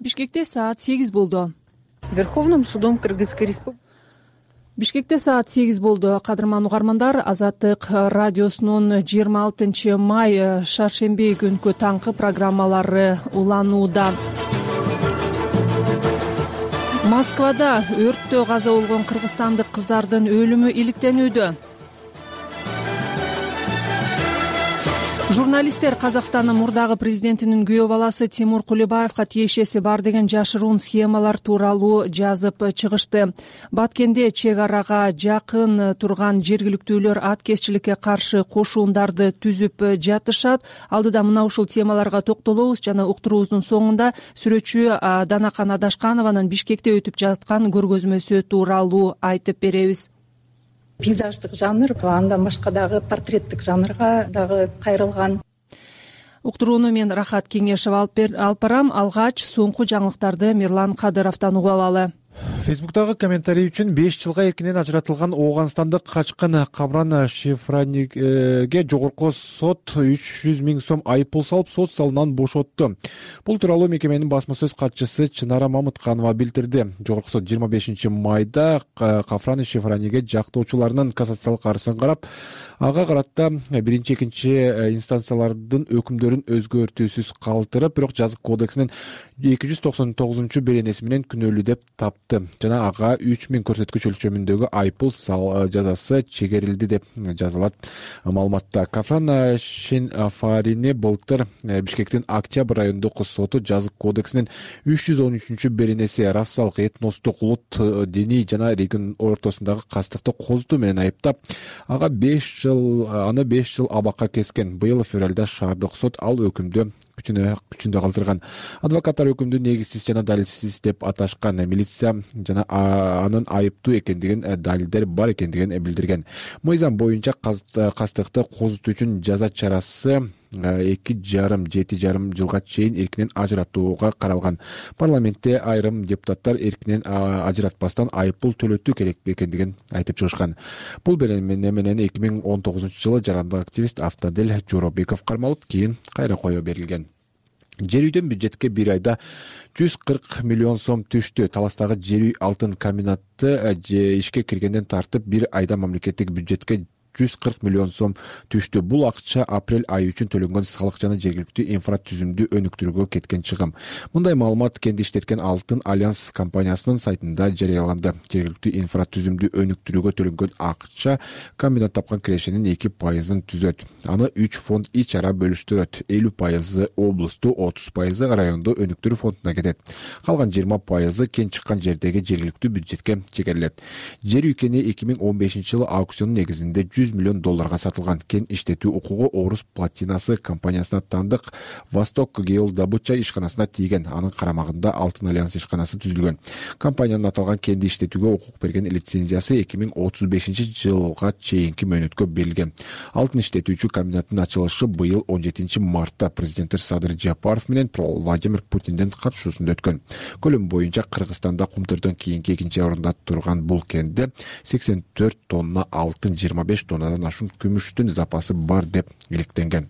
Бишкекте саат 8 болду. Верховным судом Кыргызской Республики. Бишкекте саат 8 болду. Кадырман угармандар, Азаттык радиосунун 26 май шаршемби күнкү таңкы программалары уланууда. Москвада өрттө каза болгон кыргызстандык кыздардын өлүмү иликтенүүдө. Журналисттер Казакстандын мурдагы президентинин күйөө баласы Тимур Кулебаевга тиешеси бар деген жашыруун схемалар тууралуу жазып чыгышты. Баткенде чек арага жакын турган жергиликтүүлөр аткезчиликке каршы кошуундарды түзүп жатышат. Алдыда мына ушул темаларга токтолобуз жана уктуруубуздун соңунда сүрөтчү Данакан Адашканованын Бишкекте өтүп жаткан көргөзмөсү тууралуу айтып беребиз. Пейзаждык жанр, андан башка дагы портреттик жанрга дагы кайрылган. Уктурууну мен Рахат Кеңешов алып барам. Алгач соңку жаңылыктарды Мирлан Кадыровдон угуп алалы. Фейсбуктагы комментарий үчүн 5 жылга эркинен ажыратылган Ооганстандык качкын Камран Шифраниге жогорку сот 300 000 сом айыппул салып, сот залынан бошотту. Бул тууралуу мекеменин басма сөз катчысы Чынара Мамытканова билдирди. Жогорку сот 25 майда Камран Шифраниге жактоочуларынын кассациялык арызын карап, ага карата биринчи, экинчи инстанциялардын өкүмдөрүн өзгөртүүсүз калтырып, бирок жазык кодексинин 299 беренеси менен күнөөлүү деп тапты. Жана ага 3000 көрсөткүч өлчөмүндөгү айыппул жазасы чегерилди деп жазылат маалыматта. Камран Шифранини былтыр Бишкектин Октябрь райондук соту жазык кодексинин 313 беренеси расалык, этностук, улут, диний жана регион ортосундагы кастыкты козутуу менен айыптап, ага 5 жыл абакка кескен. Быйыл февралда шаардык сот ал өкүмдү күчүндө калтырган. Адвокаттар өкүмдү негизсиз жана далилсиз деп аташкан. Милиция жана анын айыптуу экендигин, далилдер бар экендигин билдирген. Мыйзам боюнча кастыкты козутуу үчүн жаза чарасы 2,5–7,5 жылга чейин эркинен ажыратууга каралган. Парламентте айрым депутаттар эркинен ажыратпастан айыппул төлөтүү керек экендигин айтып чыгышкан. Бул беренеси менен 2019 жылы жарандык активист Автодель Жоробеков кармалып, кийин кайра коюу берилген. Жер үйдөн бюджетке бир айда 140 миллион сом түштү. Таластагы жер үй алтын комбинаты ишке киргенден тартып бир айда мамлекеттик бюджетке 140 миллион сом түштү. Бул акча апрель айы үчүн төлөнгөн салык жана жергиликтүү инфратүзүмдү өнүктүрүүгө кеткен чыгым. Мындай маалымат Кенди иштеткен Алтын Альянс компаниясынын сайтында жарыяланды. Жергиликтүү инфратүзүмдү өнүктүрүүгө төлөнгөн акча комбинат тапкан кирешенин 2% түзөт. Аны 3 фонд ич ара бөлүштүрөт. 50% облусту, 30% райондо өнүктүрүү фондуна кетет. Калган 20% кен чыккан жердеги жергиликтүү бюджетке чегерилет. Жер үй кени 2015 жылы аукциондун негизинде $100 миллион сатылган. Кен иштетүү укугу Орус Платинасы компаниясына тандык Восток Геолдобыча ишканасына тийген. Анын карамагында Алтын Альянс ишканасы түзүлгөн. Компаниянын аталган кенди иштетүүгө укук берген лицензиясы 2035 жылга чейинки мөөнөткө берилген. Алтын иштетүүчү комбинаттын ачылышы быйыл 17 мартта президент Садыр Жапаров менен Владимир Путиндин катышуусунда өткөн. Көлөм боюнча Кыргызстанда кумтөрдөн кийинки экинчи орунда турган бул кенде 84 тонна алтын, 25 тоннадан ашуун күмүштүн запасы бар деп иликтенген.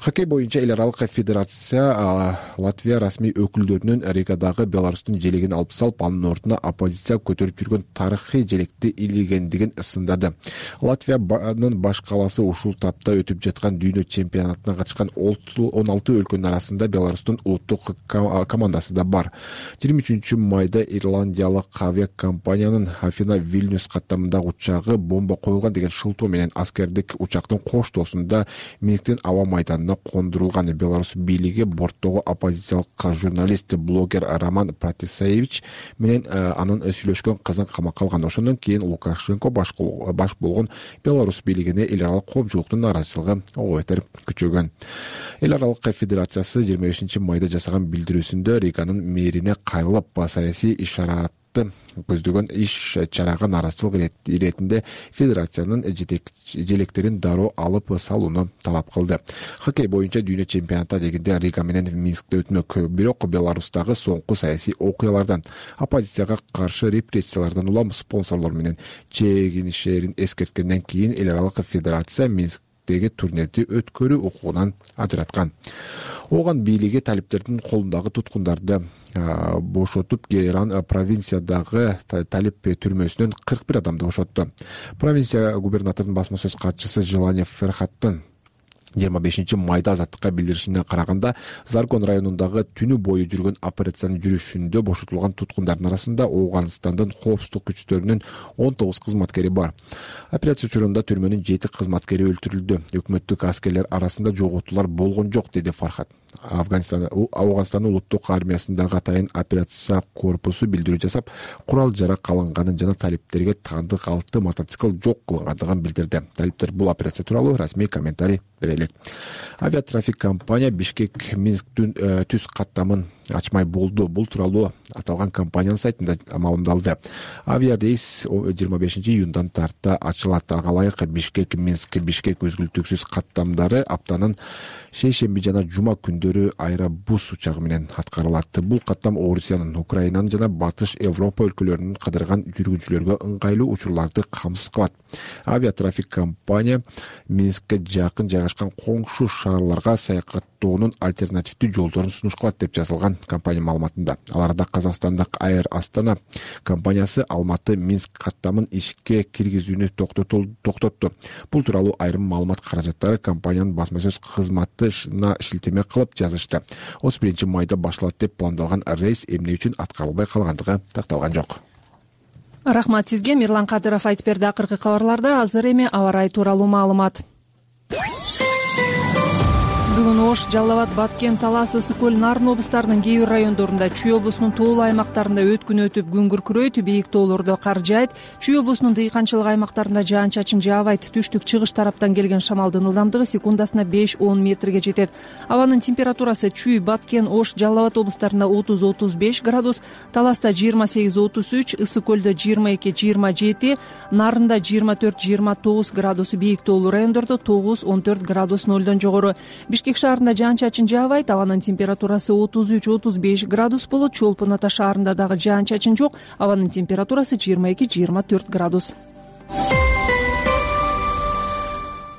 Хоккей боюнча эл аралык федерация Латвия расмий өкүлдөрүнүн Ригадагы Беларустун желегин алып салып, анын ордуна оппозиция көтөрүп жүргөн тарыхый желекти илигендигин ысындады. Латвиянын баш калаасы ушул тапта өтүп жаткан дүйнө чемпионатына катышкан 16 өлкөнүн арасында Беларустун улуттук командасы да бар. 23 майда ирландиялык авиакомпаниянын Афина Вильнюс каттамындагы учагы бомба коюлган деген шылтоо менен аскердик учактын коштоосунда Минсктин аба майданына кондурулган. Беларусь бийлиги борттогу оппозициялык журналист, блогер Роман Протасевич менен анын сүйлөшкөн кызын камакка алган. Ошондон кийин Лукашенко баш болгон Беларусь бийлигине эл аралык коомчулуктун нааразычылыгы ого бетер күчөгөн. Эл аралык федерациясы 25 майда жасаган билдирүүсүндө Риганын мэрине кайрылып, саясий ишаратты көздөгөн иш чарага нааразычылык иретинде федерациянын желектерин дароо алып салууну талап кылды. Хоккей боюнча дүйнө чемпионаты дегенде Рига менен Минскте өтмөк. Бирок Беларустагы соңку саясий окуялардан, оппозицияга каршы репрессиялардан улам спонсорлор менен чегинишерин эскерткенден кийин эл аралык федерация Минск Нью-Йорктеги турнирди өткөрүү укугунан ажыраткан. Ооган бийлиги талиптердин колундагы туткундарды бошотуп, Гейран провинциядагы талип түрмөсүнөн 41 адамды бошотту. Провинция губернаторунун басма сөз катчысы Желание Ферхаттын 25 майда азаттыкка билдиришине караганда, Заргон районундагы түнү бою жүргөн операциянын жүрүшүндө бошотулган туткундардын арасында Ооганстандын коопсуздук күчтөрүнүн 19 кызматкери бар. Операция учурунда түрмөнүн 7 кызматкери өлтүрүлдү. Өкмөттүк аскерлер арасында жоготуулар болгон жок, деди Фархат. Ооганстандын улуттук армиясындагы атайын операция корпусу билдирүү жасап, курал-жарак алынганын жана талиптерге таандык 6 мотоцикл жок кылынгандыгын билдирди. Талиптер бул операция тууралуу расмий комментарий бере элек. Авиатрафик компания Бишкек-Минск түз каттамын ачмай болду. Бул тууралуу аталган компаниянын сайтында маалымдалды. Авиарейс 25 июндан тарта ачылат. Ага ылайык Бишкек-Минск Бишкек өзгүлтүксүз каттамдары аптанын шейшемби жана жума күндөрү аэробус учагы менен аткарылат. Бул каттам Орусиянын, Украинанын жана Батыш Европа өлкөлөрүнүн кыдырган жүргүнчүлөргө ыңгайлуу учурларды камсыз кылат. Авиатрафик компания Минскке жакын жайгашкан коңшу шаарларга саякаттоонун альтернативдүү жолдорун сунуш кылат деп жазылган компания маалыматында. Аларда Казакстандык Air Astana компаниясы Алматы-Минск каттамын ишке киргизүүнү токтотту. Бул тууралуу айрым маалымат каражаттары компаниянын басма сөз кызматына шилтеме кылып жазышты. 31 майда башталат деп пландалган рейс эмне үчүн аткарылбай калгандыгы такталган жок. Рахмат сизге. Мирлан Кадыров айтып берди акыркы кабарларда. Азыр эми аба ырайы тууралуу маалымат. Бүгүн Ош, Жалал Абад, Баткен, Талас, Ысык көл, Нарын облустарынын кээ бир райондорунда, Чүй облусунун тоолуу аймактарында өткүн өтүп, күн күркүрөйт, бийик тоолордо кар жаайт. Чүй облусунун дыйканчылык аймактарында жаан-чачын жаабайт. Түштүк чыгыш тараптан келген шамалдын ылдамдыгы секундасына 5-10 метрге жетет. Абанын температурасы Чүй, Баткен, Ош, Жалал Абад облустарында 30-35 градус, Таласта 28-33, Ысык көлдө 22-27, Нарында 24-29 градус, бийик тоолуу райондордо 9-14 градус нөлдөн жогору. Бишкек шаарында жаан-чачын жаабайт, абанын температурасы 33-35 градус болот. Чолпон Ата шаарында дагы жаан-чачын жок, абанын температурасы 22-24 градус.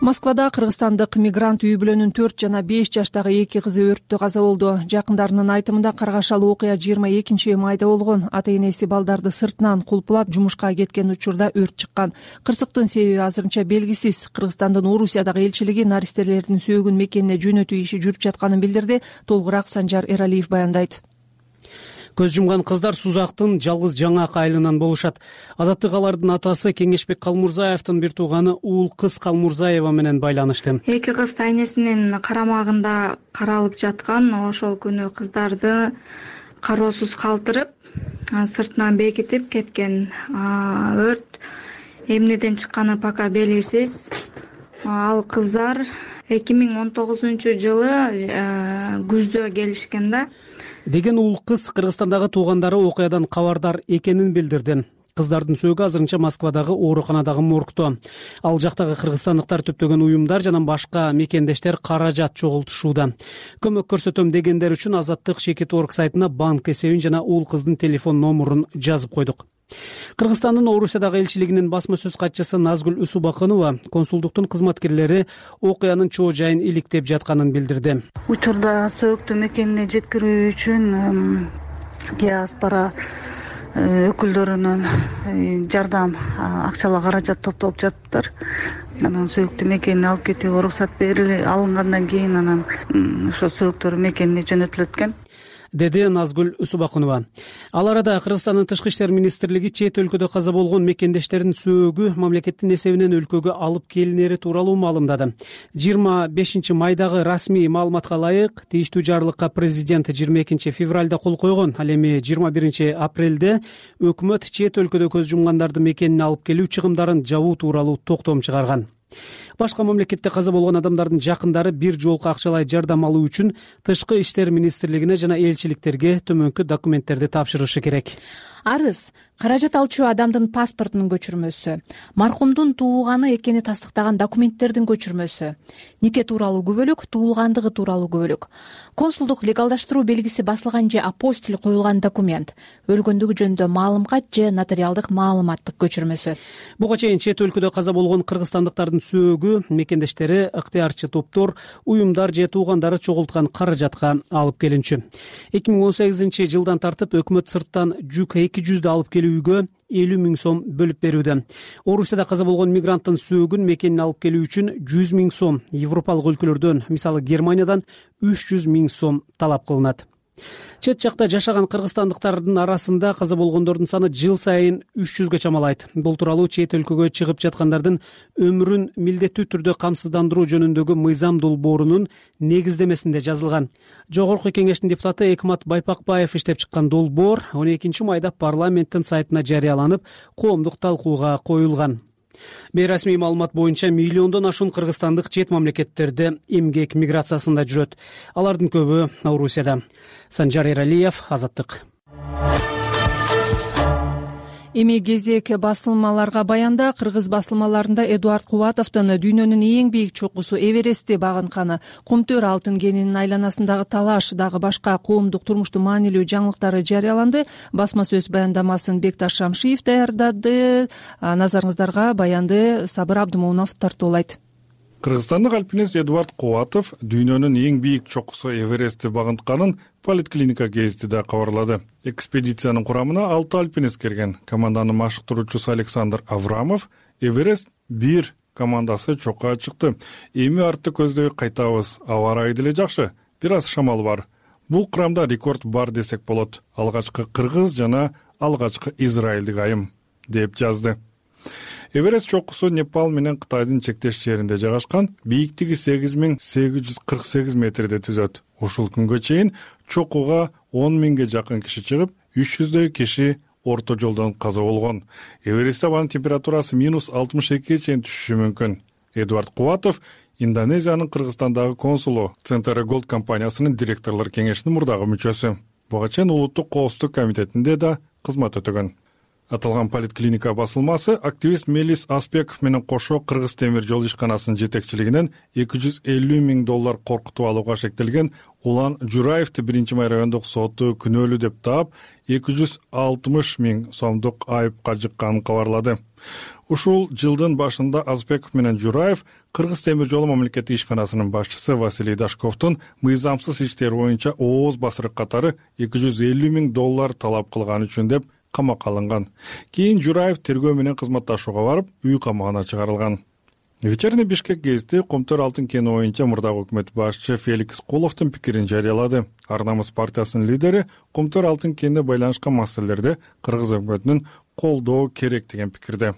Москвада кыргызстандык мигрант үй бүлөнүн 4 жана 5 жаштагы 2 кызы өрттө каза болду. Жакындарынын айтымында каргашалуу окуя 22 майда болгон. Ата-энеси балдарды сыртынан кулпулап жумушка кеткен учурда өрт чыккан. Кырсыктын себеби азырынча белгисиз. Кыргызстандын Орусиядагы элчилиги наристелердин сөөгүн мекенине жөнөтүү иши жүрүп жатканын билдирди. Толугураак Санжар Эралиев баяндайт. Көз жумган кыздар Сузактын жалгыз жаңак айылынан болушат. Азаттык алардын атасы Кеңешбек Калмурзаевдин бир тууганы Уул кыз Калмурзаева менен байланышты. Эки кыз тайнесинин карамагында каралып жаткан. Ошол күнү кыздарды кароосуз калтырып, сыртынан бекитип кеткен. Өрт эмнеден чыкканы пока белгисиз. Ал кыздар 2019-жылы күздө келишкен да. Деген Уул кыз Кыргызстандагы туугандары окуядан кабардар экенин билдирди. Кыздардын сөөгү азырынча Москвадагы ооруканадагы моргто. Ал жактагы кыргызстандыктар төптөгөн уюмдар жана башка мекендештер каражат чогултушууда. Көмөк көрсөтөм дегендер үчүн Азаттык Шекет.орг сайтына банк эсебин жана Уул кыздын телефон номурун жазып койдук. Кыргызстандын Орусиядагы элчилигинин басма сөз катчысы Назгүл Усубакынова консулдуктун кызматкерлери окуянын чоо жайын иликтеп жатканын билдирди. Учурда сөөктү мекенине жеткирүү үчүн диаспора өкүлдөрүнүн жардам акчалык каражат топтоп жатыптыр. Анан сөөктү мекенине алып кетүүгө уруксат алынгандан кийин анан ошо сөөктөр мекенине жөнөтүлөт экен, деди Назгүл Усубакынова. Ал арада Кыргызстандын Тышкы иштер министрлиги чет өлкөдө каза болгон мекендештердин сөөгү мамлекеттин эсебинен өлкөгө алып келинери тууралуу маалымдады. 25 майдагы расмий маалыматка ылайык, тийиштүү жарлыкка президент 22 февралда кол койгон. Ал эми 21 апрелде өкмөт чет өлкөдө көз жумгандарды мекенине алып келүү чыгымдарын жабуу тууралуу токтом чыгарган. Башка мамлекетте каза болгон адамдардын жакындары бир жолку акчалай жардам алуу үчүн Тышкы иштер министрлигине жана элчиликтерге төмөнкү документтерди тапшырышы керек. Арыз каражат алчу адамдын паспортунун көчүрмөсү, маркумдун туулганы экени тастыктаган документтердин көчүрмөсү, нике тууралуу күбөлүк, туулгандыгы тууралуу күбөлүк, консулдук легалдаштыруу белгиси басылган же апостиль коюлган документ, өлгөндүгү жөнүндө маалым кат же нотариалдык маалыматтык көчүрмөсү. Буга чейин чет өлкөдө каза болгон кыргызстандыктардын сөөгү мекендештери, ыктыярчы топтор, уюмдар же туугандары чогулткан каражатка алып келинчү. 2018-жылдан тартып өкмөт сырттан жүк 200 алып келүүгө 50 000 сом бөлүп берүүдө. Орусияда каза болгон мигранттын сөөгүн мекенин алып келүү үчүн 100 000 сом, Европалык өлкөлөрдөн, мисалы Германиядан 300 000 сом талап кылынат. Чет жакта жашаган кыргызстандыктардын арасында каза болгондордун саны жыл сайын 300гө чамалайт. Бул тууралуу чет өлкөгө чыгып жаткандардын өмүрүн милдеттүү түрдө камсыздандыруу жөнүндөгү мыйзам долбоорунун негиздемесинде жазылган. Жогорку кеңештин депутаты Экмат Байпакбаев иштеп чыккан долбоор 12-майда парламенттин сайтына жарыяланып, коомдук талкууга коюлган. Бейрасмий маалымат боюнча миллиондон ашуун кыргызстандык чет мамлекеттерде эмгек миграциясында жүрөт. Алардын көбү Орусияда. Санжар Эралиев, Азаттык. Эми кезек басылмаларга баянда. Кыргыз басылмаларында Эдуард Кубатовдун дүйнөнүн эң бийлик чокусу Эверестти багынтканы, Кумтөр алтын кенинин айланасындагы талаш, дагы башка коомдук турмуштун маанилүү жаңылыктары жарыяланды. Басма сөз баяндамасын Бекташ Шамшиев даярдады. Назарыңыздарга баянды Сабыр Абдымомунов тартуулайт. Кыргызстандык альпинист Эдуард Кубатов дүйнөнүн эң бийик чокусу Эверестти багынтканын Политклиника гезитиде кабарлады. Экспедициянын курамына 6 альпинист кирген. Команданын машыктыруучусу Александр Аврамов Эверест 1 командасы чокка чыкты. Эми артты көздөй кайтабыз. Аба ырайы деле жакшы, бир аз шамал бар. Бул курамда рекорд бар десек болот. Алгачкы кыргыз жана алгачкы израилдик айым, деп жазды. Эверест чокусу Непал менен Кытайдын чектеш жеринде жайгашкан, бийиктиги 8848 метрде түзөт. Ушул күнгө чейин чокуга 10 000ге жакын киши чыгып, 300дөй киши орто жолдон каза болгон. Эверестте абанын температурасы -62ге чейин түшүшү мүмкүн. Эдуард Кубатов Индонезиянын Кыргызстандагы консулу, Центр Голд компаниясынын директорлор кеңешинин мурдагы мүчөсү. Буга чейин Улуттук коопсуздук комитетинде да кызмат өтөгөн. Аталган Политклиника басылмасы активист Мелис Аспеков менен кошо Кыргыз темир жол ишканасынын жетекчилигинен $250 000 коркутуп алууга шектелген Улан Жураевди 1-май райондук соту күнөөлүү деп таап, 260 000 сомдук айыпка жыкканын кабарлады. Ушул жылдын башында Аспеков менен Жураев Кыргыз темир жолу мамлекеттик ишканасынын башчысы Василий Дашковдун мыйзамсыз иштери боюнча ооз басырык катары $250 000 талап кылганы үчүн деп камакка алынган. Кийин Жураев тергөө менен кызматташууга барып, үй камагына чыгарылган. Вечерний Бишкек гезити Кумтөр алтын кени боюнча мурдагы өкмөт башчы Феликс Куловдун пикирин жарыялады. Ар намыс партиясынын лидери Кумтөр алтын кенине байланышкан маселелерде кыргыз өкмөтүнүн колдоо керек деген пикирде.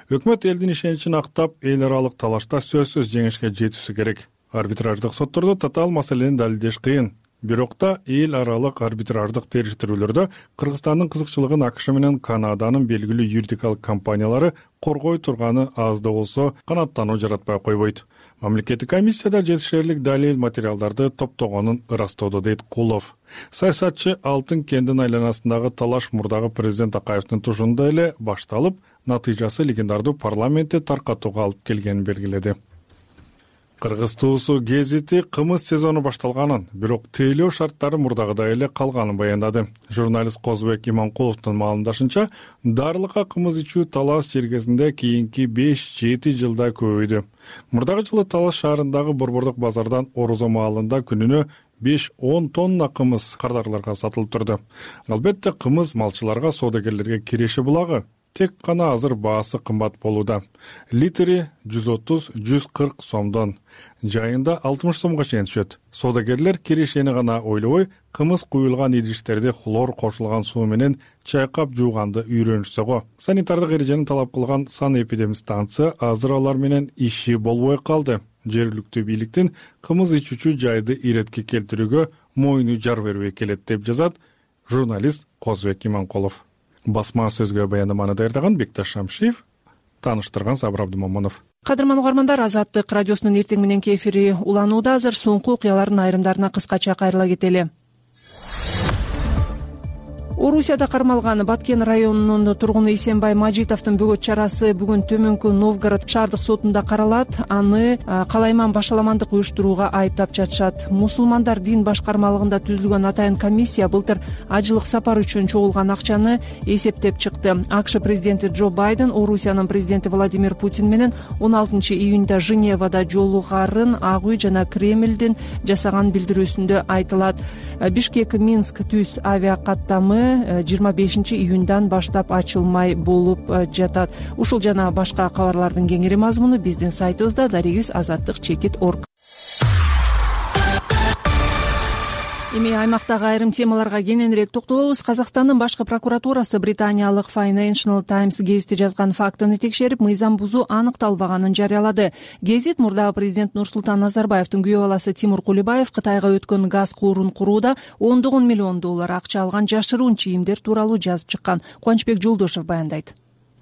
Өкмөт элдин ишеничин актап, эл аралык талашта сөзсүз жеңишке жетүүсү керек. Арбитраждык соттордо татаал маселени далилдеш кыйын. Бирок да эл аралык арбитраждык териштирүүлөрдө Кыргызстандын кызыкчылыгын АКШ менен Канаданын белгилүү юридикалык компаниялары коргой турганы аз да болсо канааттануу жаратпай койбойт. Мамлекеттик комиссияда жетишерлик далил материалдарды топтогонун ырастоодо, дейт Кулов. Саясатчы алтын кендин айланасындагы талаш мурдагы президент Акаевдин тушунда эле башталып, натыйжасы легендардуу парламентте таркатууга алып келгенин белгиледи. Кыргыз туусу гезити кымыз сезону башталганын, бирок тейлөө шарттары мурдагыдай эле калганын баяндады. Журналист Козбек Иманкуловдун маалымдашынча, Дарлыкка кымыз ичүү Талас жергесинде кийинки 5-7 жылда көбөйдү. Мурдагы жылы Талас шаарындагы борбордук базардан Орозо маалында күнүнө 5-10 тонна кымыз кардарларга сатылып турду. Албетте кымыз малчыларга, соодагерлерге киреше булагы. Тек гана азыр баасы кымбат болууда. Литри 130-140 сомдон, жайында 60 сомго чейин түшөт. Соодагерлер кирешени гана ойлобой, кымыз куюлган идиштерди хлор кошулган суу менен чайкап жууганды үйрөнүшсө го. Санитардык эрежени талап кылган санэпидемстанция азыр алар менен иши болбой калды. Жергиликтүү бийликтин кымыз ичүүчү жайды иретке келтирүүгө мойну жар бербей келет, деп жазат журналист Козбек Иманкулов. Басма сөзгө баяндаманы даярдаган Бекташ Шамшиев, тааныштырган Сабыр Абдымомунов. Кадырман угармандар, Азаттык радиосунун эртең мененки эфири уланууда. Азыр соңку окуялардын айрымдарына кыскача кайрыла кетели. Орусияда кармалган Баткен районунун тургуну Исенбай Мажитовдун бөгөт чарасы бүгүн Төмөнкү Новгород шаардык сотунда каралат. Аны калайман башаламандык уюштурууга айыптап жатышат. Мусулмандар дин башкармалыгында түзүлгөн атайын комиссия былтыр ажылык сапар үчүн чогулган акчаны эсептеп чыкты. АКШ президенти Джо Байден Орусиянын президенти Владимир Путин менен 16-июнда Женевада жолугарын Ак үй жана Кремлдин жасаган билдирүүсүндө айтылат. Бишкек-Минск түз авиакаттамы 25-июндан баштап ачылмай болуп жатат. Ушул жана башка кабарлардын кеңири мазмуну биздин сайтыбызда darigis-azаттык-org. Эми аймактагы айрым темаларга кененирээк токтолобуз. Казакстандын башкы прокуратурасы британиялык Financial Times гезити жазган фактыны текшерип, мыйзам бузуу аныкталбаганын жарыялады. Гезит мурдагы президент Нурсултан Назарбаевдин күйөө баласы Тимур Кулибаев Кытайга өткөн газ куурун курууда $10 миллион акча алган жашыруун чийимдер тууралуу жазып чыккан. Кубанычбек Жолдошев баяндайт.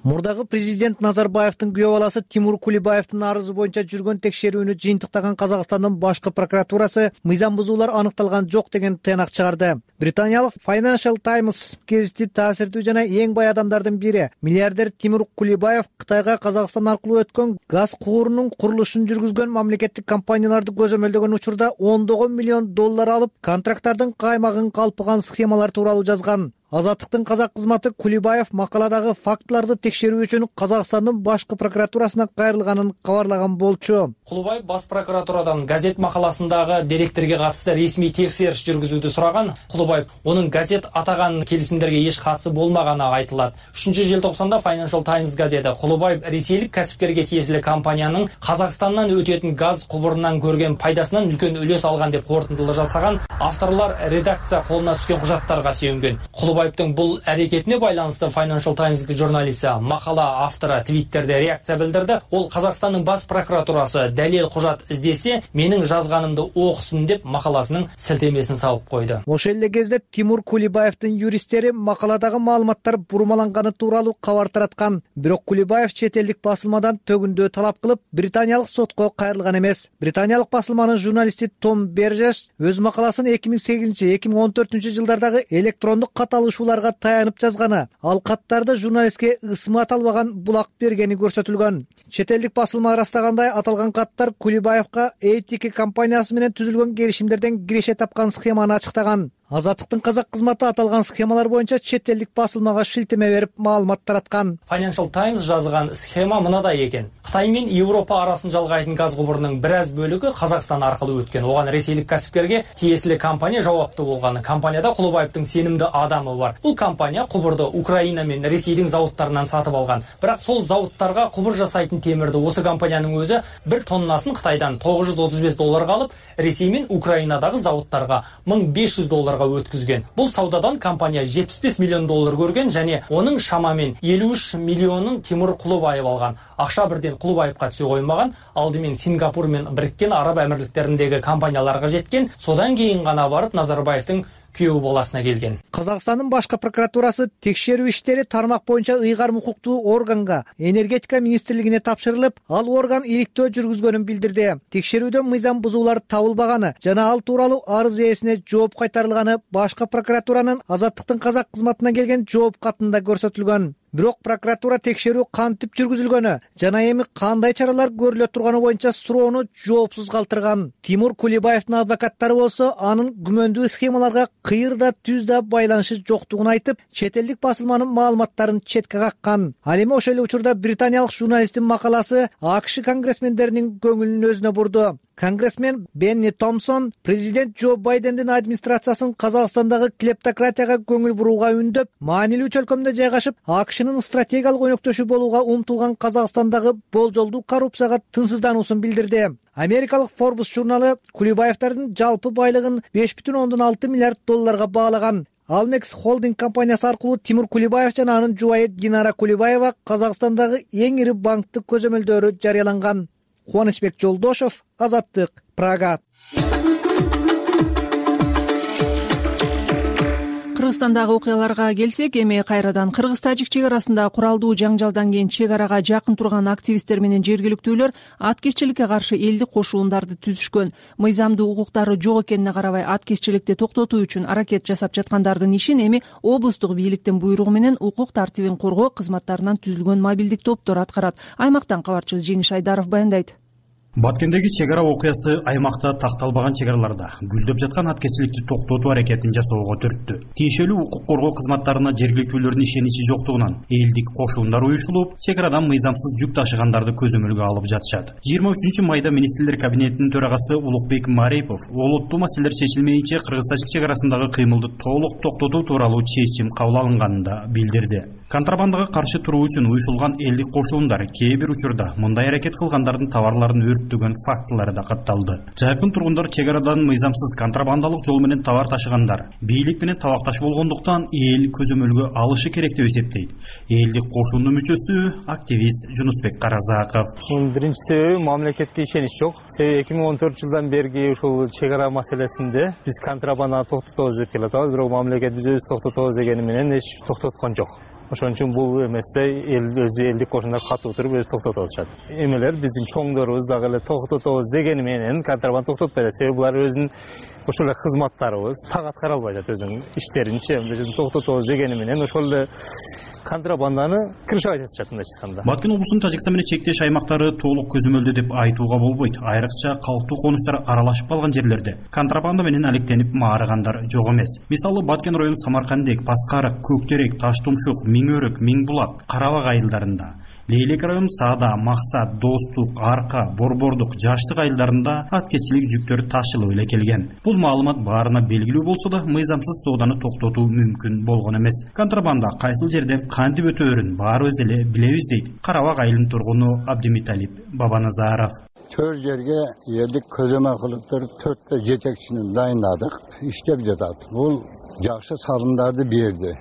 Мурдагы президент Назарбаевдин күйөө баласы Тимур Кулибаевдин арызы боюнча жүргөн текшерүүнү жыйынтыктаган Казакстандын башкы прокуратурасы мыйзам бузуулар аныкталган жок деген тыянак чыгарды. Британиялык Financial Times гезити таасирдүү жана эң бай адамдардын бири миллиардер Тимур Кулибаев Кытайга Казакстан аркылуу өткөн газ куурунун курулушун жүргүзгөн мамлекеттик компанияларды көзөмөлдөгөн учурда $10 миллион алып, контракттардын каймагын калпыган схемалар тууралуу жазган. Азаттыктын казак кызматы Кулибаев макаладагы фактыларды текшерүү үчүн Казакстандын башкы прокуратурасына кайрылганын кабарлаган болчу. Кулибаев бас прокуратурадан газет макаласындагы деректерге катысты ресмий текшериш жүргүзүүдү сураган. Кулибаев онун газет атаган келисимдерге эч катысы болмаганы айтылат. 3-желтоқсанда Financial Times газети Кулибаев ресейлик касипкерге тиесилүү компаниянын Казакстандан өтөтүн газ кубурунан көргөн пайдасынан үлкөн үлөс алган деп корутундулар жасаган. Авторлор редакция колуна түшкөн кужаттарга сүйөнгөн. Кулибаевдин бул аракетине байланыштуу Financial Times журналисти макала автору Twitterде реакция билдирди. Ол Казакстандын бас прокуратурасы далил кужат издесе, менин жазганымды окусун деп макаласынын силтемесин салып койду. Ошол эле кезде Тимур Кулибаевдин юристтери макаладагы маалыматтар бурмаланганы тууралуу кабар тараткан. Бирок Кулибаев чет элдик басылмадан төгүндөө талап кылып, британиялык сотко кайрылган эмес. Британиялык басылманын журналисти Том Бержес өз макаласын 2008-2014 жылдардагы электрондук кат алышууларга таянып жазганы, ал каттарды журналистке ысмат албаган булак бергени көрсөтүлгөн. Чет элдик басылма ырастагандай, аталган каттар Кулибаевга ATK компаниясы менен түзүлгөн келишимдерден киреше тапкан схеманы ачыктаган. Азаттыктын казак кызматы аталган схемалар боюнча чет элдик басылмага шилтеме берип маалымат тараткан. Financial Times жазган схема мындай экен. Кытай менен Европа арасын жалгайтын газ кубурунун бир аз бөлүгү Казакстан аркылуу өткөн. Оган ресейлик касипкерге тиесилүү компания жауаптуу болгон. Компанияда Кулибаевдин сенимдүү адамы бар. Бул компания кубурду Украина менен Ресейдин заводдорунан сатып алган. Бирок сол заводдорго кубур жасайтын темирди осы компаниянын өзү 1 тоннасын Кытайдан $935 алып, Ресей менен Украинадагы заводдорго $1500 өткүзгөн. Бул саудадан компания $75 миллион көргөн жана онун шамамен 53 миллионун Тимур Кулибаев алган. Акча бирден Кулибаевга түсө коймаган, алдымен Сингапур менен Бириккен Араб Амирликтериндеги компанияларга жеткен, содан кийин гана барып Назарбаевдин күйөө баласына келген. Казакстандын башкы прокуратурасы текшерүү иштери тармак боюнча ыйгарым укуктуу органга, энергетика министрлигине тапшырылып, ал орган иликтөө жүргүзгөнүн билдирди. Текшерүүдөн мыйзам бузуулар табылбаганы жана ал тууралуу арыз ээсине жооп кайтарылганы башкы прокуратуранын Азаттыктын казак кызматына келген жооп катында көрсөтүлгөн. Бирок прокуратура текшерүү кантип жүргүзүлгөнү жана эми кандай чаралар көрүлө турганы боюнча суроону жоопсуз калтырган. Тимур Кулибаевдин адвокаттары болсо анын күмөндүү схемаларга кыйырда түздө байланышы жоктугун айтып, чет элдик басылманын маалыматтарын четке каккан. Ал эми ошол эле учурда британиялык журналисттин макаласы АКШ конгрессмендеринин көңүлүн өзүнө бурду. Конгрессмен Бенни Томпсон президент Джо Байдендин администрациясын Казакстандагы клептократияга көңүл бурууга үндөп, маанилүү чөлкөмдө жайгашып, АКШнын стратегиялык өнөктөшү болууга умтулган Казакстандагы болжолдуу коррупцияга тынчсыздануусун билдирди. Америкалык Forbes журналы Кулибаевдин жалпы байлыгын $5,6 миллиард баалаган. Almex Holding компаниясы аркылуу Тимур Кулибаев жана анын жубайы Динара Кулибаева Казакстандагы эң ири банктык көзөмөлдөрү жарыяланган. Кубанычбек Жолдошев, Азаттык, Прага. Кыргызстандагы окуяларга келсек, эми кайрадан кыргыз-тажик чек арасында куралдуу жаңжалдан кийин чек арага жакын турган активисттер менен жергиликтүүлөр аткезчиликке каршы элдик кошуундарды түзүшкөн. Мыйзамдуу укуктары жок экенине карабай аткезчиликти токтотуу үчүн аракет жасап жаткандардын ишин эми облустук бийликтин буйругу менен укук тартибин коргоо кызматтарынан түзүлгөн мобилдик топтор аткарат. Аймактан кабарчыбыз Жеңиш Айдаров баяндайт. Баткендеги чек ара окуясы аймакта такталбаган чек араларда гүлдөп жаткан аткезчиликти токтотуу аракетин жасоого түрттү. Тиешелүү укук коргоо кызматтарына жергиликтүүлөрдүн ишеничи жоктугунан элдик кошуундар уюшулуп, чек арадан мыйзамсыз жүк ташыгандарды көзөмөлгө алып жатышат. 23 майда министрлер кабинетинин төрагасы Улукбек Марипов олуттуу маселелер чечилмейинче кыргыз-тажик чек арасындагы кыймылды толук токтотуу тууралуу чечим кабыл алынганын да билдирди. Контрабандага каршы туруу үчүн уюшулган элдик кошуундар кээ бир учурда мындай аракет кылгандардын товарларын өрттөгөн фактылары да катталды. Жайкын тургундар чек арадан мыйзамсыз контрабандалык жол менен товар ташыгандар бийлик менен табакташ болгондуктан эл көзөмөлгө алышы керек деп эсептейт. Элдик кошуунун мүчөсү активист Жунусбек Каразаков. Биринчи себеби мамлекетке ишенич жок. Себеби 2014 жылдан берги ушул чек ара маселесинде биз контрабанданы токтотобуз деп келатабыз, бирок мамлекет биз өзүбүз токтотобуз дегени менен эч токтоткон жок. Ошон үчүн бул эместе өзү элдик кошуундар катуу туруп өзү токтотуп атышат. Эмелер биздин чоңдорубуз дагы эле токтотобуз дегени менен контрабанда токтотпойт. Себеби булар өзүнүн ошол эле кызматтарыбыз так аткара албай атат өзүнүн иштеринчи. Токтотобуз дегени менен ошол эле контрабанданы крышавать этишат мындайча айтканда. Баткен облусунун Тажикстан менен чектеш аймактары толук көзөмөлдө деп айтууга болбойт. Айрыкча калктуу конуштар аралашып калган жерлерде контрабанда менен алектенип маарыгандар жок эмес. Мисалы Баткен району Самаркандек, Паскарык, Көктерек, Таштумшук, Миңөрөк, Миңбулак, Карабак айылдарында, Лейлек району Саада, Максат, Достук, Арка, Борбордук, Жаштык айылдарында аткезчилик жүктөр ташылып эле келген. Бул маалымат баарына белгилүү болсо да, мыйзамсыз сооданы токтотуу мүмкүн болгон эмес. Контрабанда кайсыл жерден кантип өтөөрүн баарыбыз эле билебиз дейт Карабак айылынын тургуну Абдимиталип Бабаназаров. Төр жерге элдик көзөмөл кылыптыр 4 жетекчини дайындадык, иштеп жатат. Бул жакшы салымдарды берди.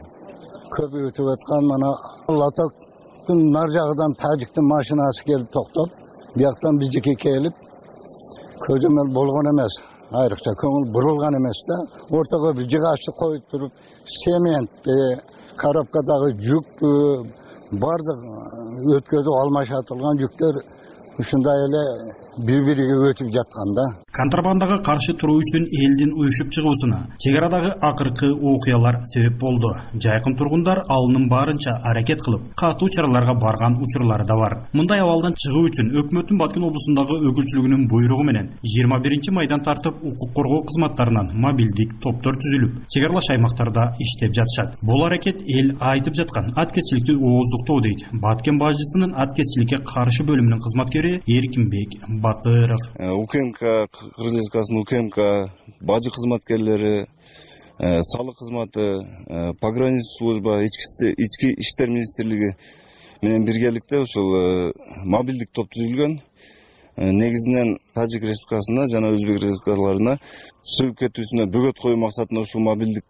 Көп өтүп аткан мана Латоктун нар жагынан Тажиктин машинасы келип токтоп, бияктан биздики келип көзөмөл болгон эмес. Айрыкча көңүл бурулган эмес да. Ортого бир жыгачты коюп туруп, семент, коробкадагы жүк бардык өткөзүп алмашатылган жүктөр ушундай эле бири-бириге өтүп жатканда. Контрабандага каршы туруу үчүн элдин уюшуп чыгуусуна чек арадагы акыркы окуялар себеп болду. Жайкын тургундар алынын баарынча аракет кылып, катуу чараларга барган учурлары да бар. Мындай абалдан чыгуу үчүн өкмөттүн Баткен облусундагы өкүлчүлүгүнүн буйругу менен 21 майдан тартып укук коргоо кызматтарынан мобилдик топтор түзүлүп, чек аралаш аймактарда иштеп жатышат. Бул аракет эл айтып жаткан аткезчиликти ооздуктоо дейт Баткен бажысынын аткезчиликке каршы бөлүмүнүн кызматкери Эркинбек Батыров. УКМК, Кыргыз Республикасынын УКМК, бажы кызматкерлери, салык кызматы, пограничный служба, ички иштер министрлиги менен биргеликте ушул мобилдик топ түзүлгөн. Негизинен Тажик Республикасына жана Өзбек республикаларына чыгып кетүүсүнө бөгөт коюу максатында ушул мобилдик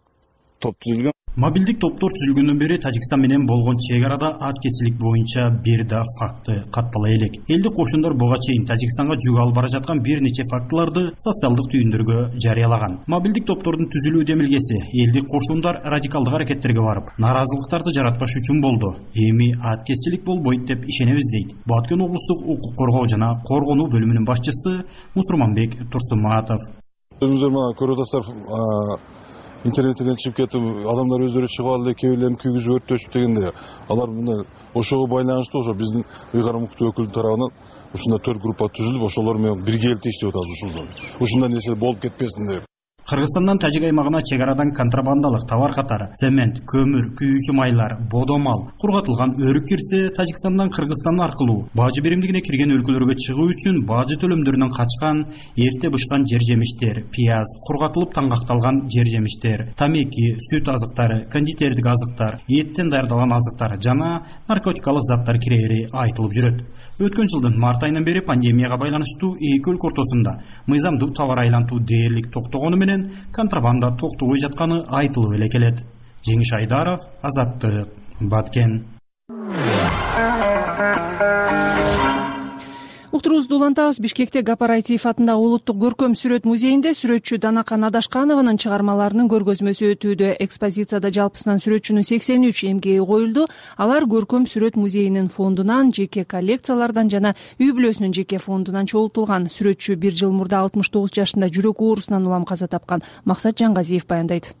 топ түзүлгөн. Мобилдик топтор түзүлгөндөн бери Тажикстан менен болгон чек арада аткезчилик боюнча бир да факты каттала элек. Элдик кошуундар буга чейин Тажикстанга жүк алып бара жаткан бир нече фактыларды социалдык түйүндөргө жарыялаган. Мобилдик топтордун түзүлүү демилгеси элдик кошуундар радикалдык аракеттерге барып, нааразылыктарды жаратпаш үчүн болду. Эми аткезчилик болбойт деп ишенебиз дейт Баткен облустук укук коргоо жана коргонуу бөлүмүнүн башчысы Мусурманбек Турсуматов. Өзүңүздөр мына көрүп атасыздар, интернеттен чыгып кетип, адамдар өздөрү чыгып алды, кээ бирлерин күйгүзүп өрттөшүп дегенде, алар мына ошого байланыштуу ошо биздин ыйгар укуктуу өкүлдүн тарабынан ушундай 4 группа түзүлүп, ошолор менен биргеликте иштеп атабыз ушундай нерсе болуп кетпесин деп. Кыргызстандан Тажик аймагына чек арадан контрабандалык товар катары цемент, көмүр, күйүүчү майлар, бодомал, кургатылган өрүк кирсе, Тажикстандан Кыргызстан аркылуу бажы биримдигине кирген өлкөлөргө чыгуу үчүн бажы төлөмдөрүнөн качкан эрте бышкан жер жемиштер, пияз, кургатылып таңгакталган жер жемиштер, тамеки, сүт азыктары, кондитердик азыктар, эттен даярдалган азыктар жана наркотикалык заттар кирери айтылып жүрөт. Өткөн жылдын март айынан бери пандемияга байланыштуу эки өлкө ортосунда мыйзамдуу товар айлантуу дээрлик токтогону менен контрабанда токтобой жатканы айтылып эле келет. Жеңиш Айдаров, Азаттык, Баткен. уктурубузду улантабыз. Бишкекте Гапар Айтиев атындагы улуттук көркөм сүрөт музейинде сүрөтчү Данакан Адашканованын чыгармаларынын көргөзмөсү өтүүдө. Экспозицияда жалпысынан сүрөтчүнүн 83 эмгеги коюлду. Алар көркөм сүрөт музейинин фондунан, жеке коллекциялардан жана үй бүлөсүнүн жеке фондунан чогултулган. Сүрөтчү 1 жыл мурда 69 жашында жүрөк оорусунан улам каза тапкан. Максат Жаңгазиев баяндайт.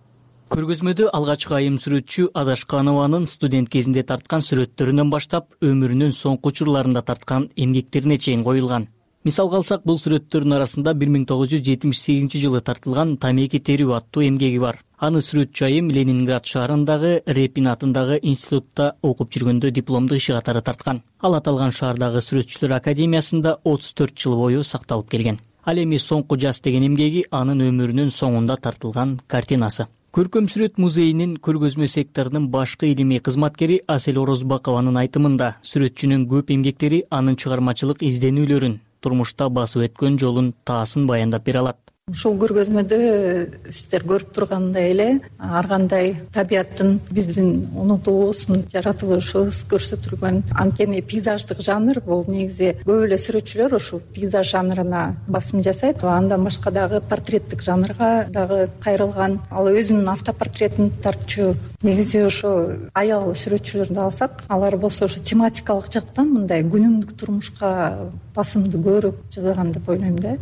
Көргөзмөдө алгачкы айым сүрөтчү Адашканованын студент кезинде тарткан сүрөттөрүнөн баштап өмүрүнүн соңку учурларында тарткан эмгектерине чейин коюлган. Мисалга алсак, бул сүрөттөрдүн арасында 1978 жылы тартылган Тамеки терүү аттуу эмгеги бар. Аны сүрөтчү айым Ленинград шаарындагы Репин атындагы институтта окуп жүргөндө дипломдук иши катары тарткан. Ал аталган шаардагы сүрөтчүлөр академиясында 34 жыл бою сакталып келген. Ал эми соңку жаз деген эмгеги анын өмүрүнүн соңунда тартылган картинасы. Көркөм сүрөт музейинин көргөзмө секторунун башкы илимий кызматкери Асель Орозбакованын айтымында, сүрөтчүнүн көп эмгектери анын чыгармачылык изденүүлөрүн, турмушта басып өткөн жолун таасын баяндап бере алат. Ушул көргөзмөдө сиздер көрүп тургандай эле ар кандай табияттын биздин унутуусун, жаратылышыбыз көрсөтүлгөн. Анткени пейзаждык жанр бул негизи көп эле сүрөтчүлөр ушул пейзаж жанрына басым жасайт. Андан башка дагы портреттик жанрга дагы кайрылган. Ал өзүнүн автопортретин тартчу. Негизи ошо аял сүрөтчүлөрдү алсак, алар болсо ошо тематикалык жактан мындай күнүмдүк турмушка басымды көрүп жасаган деп ойлойм да.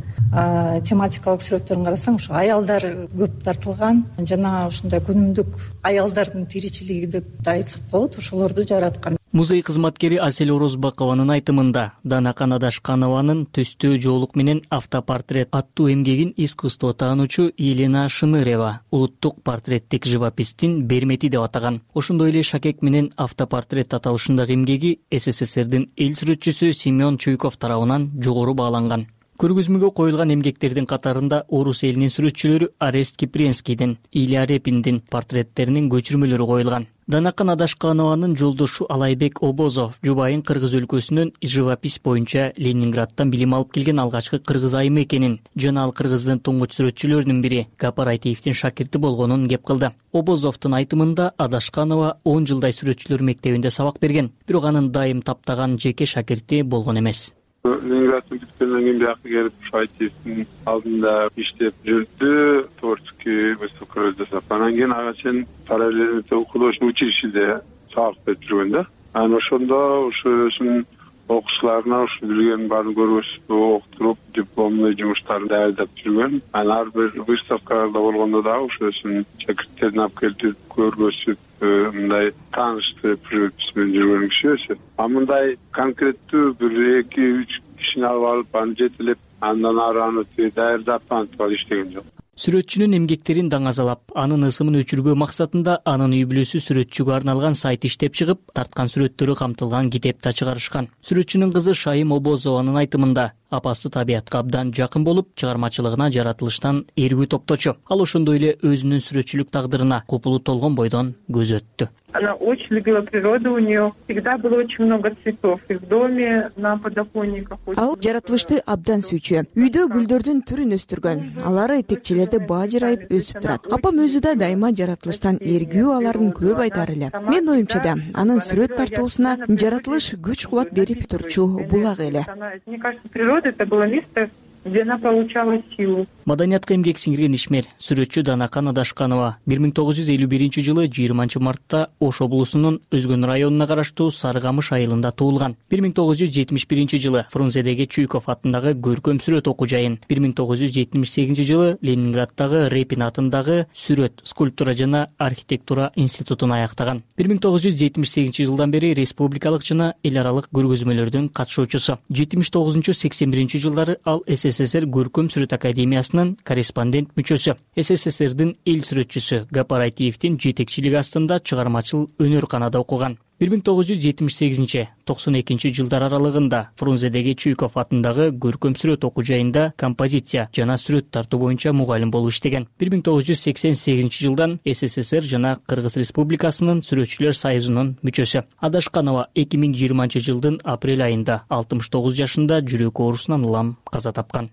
Тематикалык сүрөттөрүн карасаң, ошо аялдар көп тартылган, жана ушундай күнүмдүк аялдардын тиричилиги деп да айтсак болот, ошолорду жараткан. Музей кызматкери Асель Орозбакованын айтымында, Данакан Адашканованын төстөө жоолук менен автопортрет аттуу эмгегин искусство таануучу Елена Шынырева улуттук портреттик живопистин бермети деп атаган. Ошондой эле шакек менен автопортрет аталышындагы эмгеги СССРдин эл сүрөтчүсү Семен Чуйков тарабынан жогору бааланган. Көргөзмөгө коюлган эмгектердин катарында орус элинин сүрөтчүлөрү Арест Кипренскийдин, Илья Репиндин портреттеринин көчүрмөлөрү коюлган. Данакан Адашканованын жолдошу Алайбек Обозов жубайын Кыргыз өлкөсүнөн живопись боюнча Ленинградтан билим алып келген алгачкы кыргыз айымы экенин, жана ал Кыргыздын туңгуч сүрөтчүлөрүнүн бири Гапар Айтиевдин шакирти болгонун кеп кылды. Обозовдун айтымында Адашканова 10 жылдай сүрөтчүлөр мектебинде сабак берген, бирок анын дайым таптаган жеке шакирти болгон эмес. Ленинградтан бүткөндөн кийин бияка келип Айтиевдин алдында иштеп жүрдү, творческий выставкалар жасап. Анан кийин ага чейин параллельно художественный училищеде сабак берип жүргөн да. Анан ошондо өзүнүн окуучуларына билген баарын көргөзүп, окутуруп, дипломный жумуштарын даярдап жүргөн. Анан ар бир выставкаларда болгондо дагы өзүнүн шакирттерин алып келип көргөзүп, мындай тааныштырып жүргөн киши. Мындай конкреттүү 1-2-3 кишини алып аны жетелеп, андан ары аны даярдап антип иштеген жок. Сүрөтчүнүн эмгектерин даңазалап, анын ысымын өчүрбөө максатында анын үй бүлөсү сүрөтчүгө арналган сайт иштеп чыгып, тарткан сүрөттөрү камтылган китеп да чыгарышкан. Сүрөтчүнүн кызы Шайым Обозованын айтымында, апасы табиятка абдан жакын болуп, чыгармачылыгына жаратылыштан эргүү топточу. Ал ошондой эле өзүнүн сүрөтчүлүк тагдырына купулу толгон бойдон көз өттү. Она очень любила природу, у нее всегда было очень много цветов и в доме, на подоконниках. Ал жаратылышты абдан сүйчү. Үйдө гүлдөрдүн түрүн өстүргөн. Алары текчелерде бажырайып өсүп турат. Апам өзү да дайыма жаратылыштан эргүү аларын көп айтар эле. Мен оюмча да анын сүрөт тартуусуна жаратылыш күч-кубат берип турчу булак эле. Мне кажется, природа это было место, где она получала силу. Маданиятка эмгек сиңирген ишмер, сүрөтчү Данакан Адашканова 1951 жылы 20 мартта Ош облусунун Өзгөн районуна караштуу Сарыкамыш айылында туулган. 1971 жылы Фрунзедеги Чуйков атындагы көркөм сүрөт окуу жайын, 1978 жылы Ленинградтагы Репин атындагы сүрөт, скульптура жана архитектура институтун аяктаган. 1978 жылдан бери республикалык жана эл аралык көргөзмөлөрдүн катышуучусу. 79-81 жылдары ал СССР көркөм сүрөт академиясынын корреспондент мүчөсү. СССРдин эл сүрөтчүсү Гапар Айтиевдин жетекчилиги астында чыгармачыл өнөр канада окуган. 1978-92 жылдар аралыгында Фрунзедеги Чуйков атындагы көркөм сүрөт окуу жайында композиция жана сүрөт тартуу боюнча мугалим болуп иштеген. 1988 жылдан СССР жана Кыргыз Республикасынын сүрөтчүлөр союзунун мүчөсү. Адашканова 2020 жылдын апрель айында 69 жашында жүрөк оорусунан улам каза тапкан.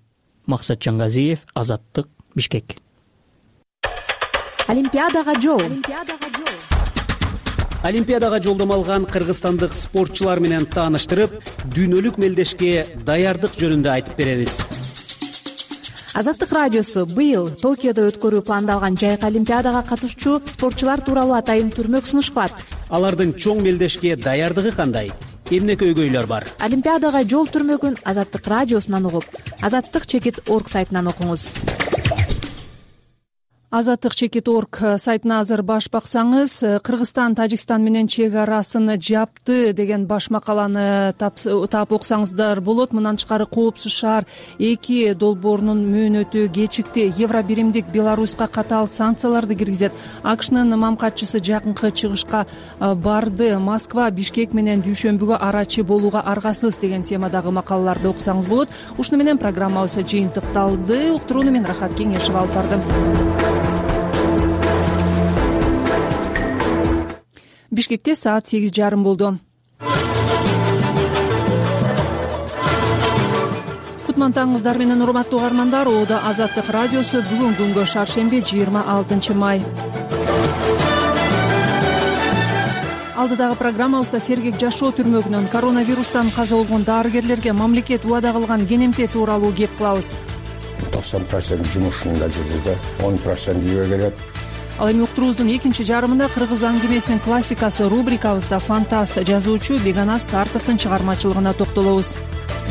Максат Жаңгазиев, Азаттык, Бишкек. Олимпиадага жол. Олимпиадага жолдомо алган кыргызстандык спортчулар менен тааныштырып, дүйнөлүк мелдешке даярдык жөнүндө айтып беребиз. Азаттык радиосу быйыл Токиодо өткөрүү пландалган жайкы олимпиадага катышуучу спортчулар тууралуу атайын түрмөк сунушкан. Алардын чоң мелдешке даярдыгы кандай? Эмне көйгөйлөр бар? Олимпиадага жол түрмөгүн Азаттык радиосунан угуп, azattik.org сайтынан окуңуз. Azattik.org сайтына азыр баш баксаңыз, Кыргызстан Тажикстан менен чек арасын жапты деген баш макаланы таап окусаңыздар болот. Мындан тышкары Коопсуз шаар 2 долбоорунун мөөнөтү кечикти. Евробиримдик Беларуська катаал санкцияларды киргизет. АКШнын мамкатчысы жакынкы чыгышка барды. Москва Бишкек менен дүйшөмбүгө арачы болууга аргасыз деген темадагы макалаларды окусаңыз болот. Ушуну менен программабыз жыйынтыкталды. Уктурууну мен Рахат Кеңешев алып бардым. Бишкекте саат 8:30 болду. Кутмантаңыздар менен урматтуу угармандар. Оодо Азаттык радиосу бүгүн күнгө шаршемби 26 май. Алдыдагы программабызда сергек жашоо түрмөгүнөн коронавирустан каза болгон дарыгерлерге мамлекет убада кылган кенемте тууралуу кеп кылабыз. 90% жумушунда жүрдү да, 10% үйгө келет. Ал эми уктуруубуздун экинчи жарымында кыргыз аңгемесинин классикасы рубрикабызда фантаст жазуучу Беганас Сартовдун чыгармачылыгына токтолобуз.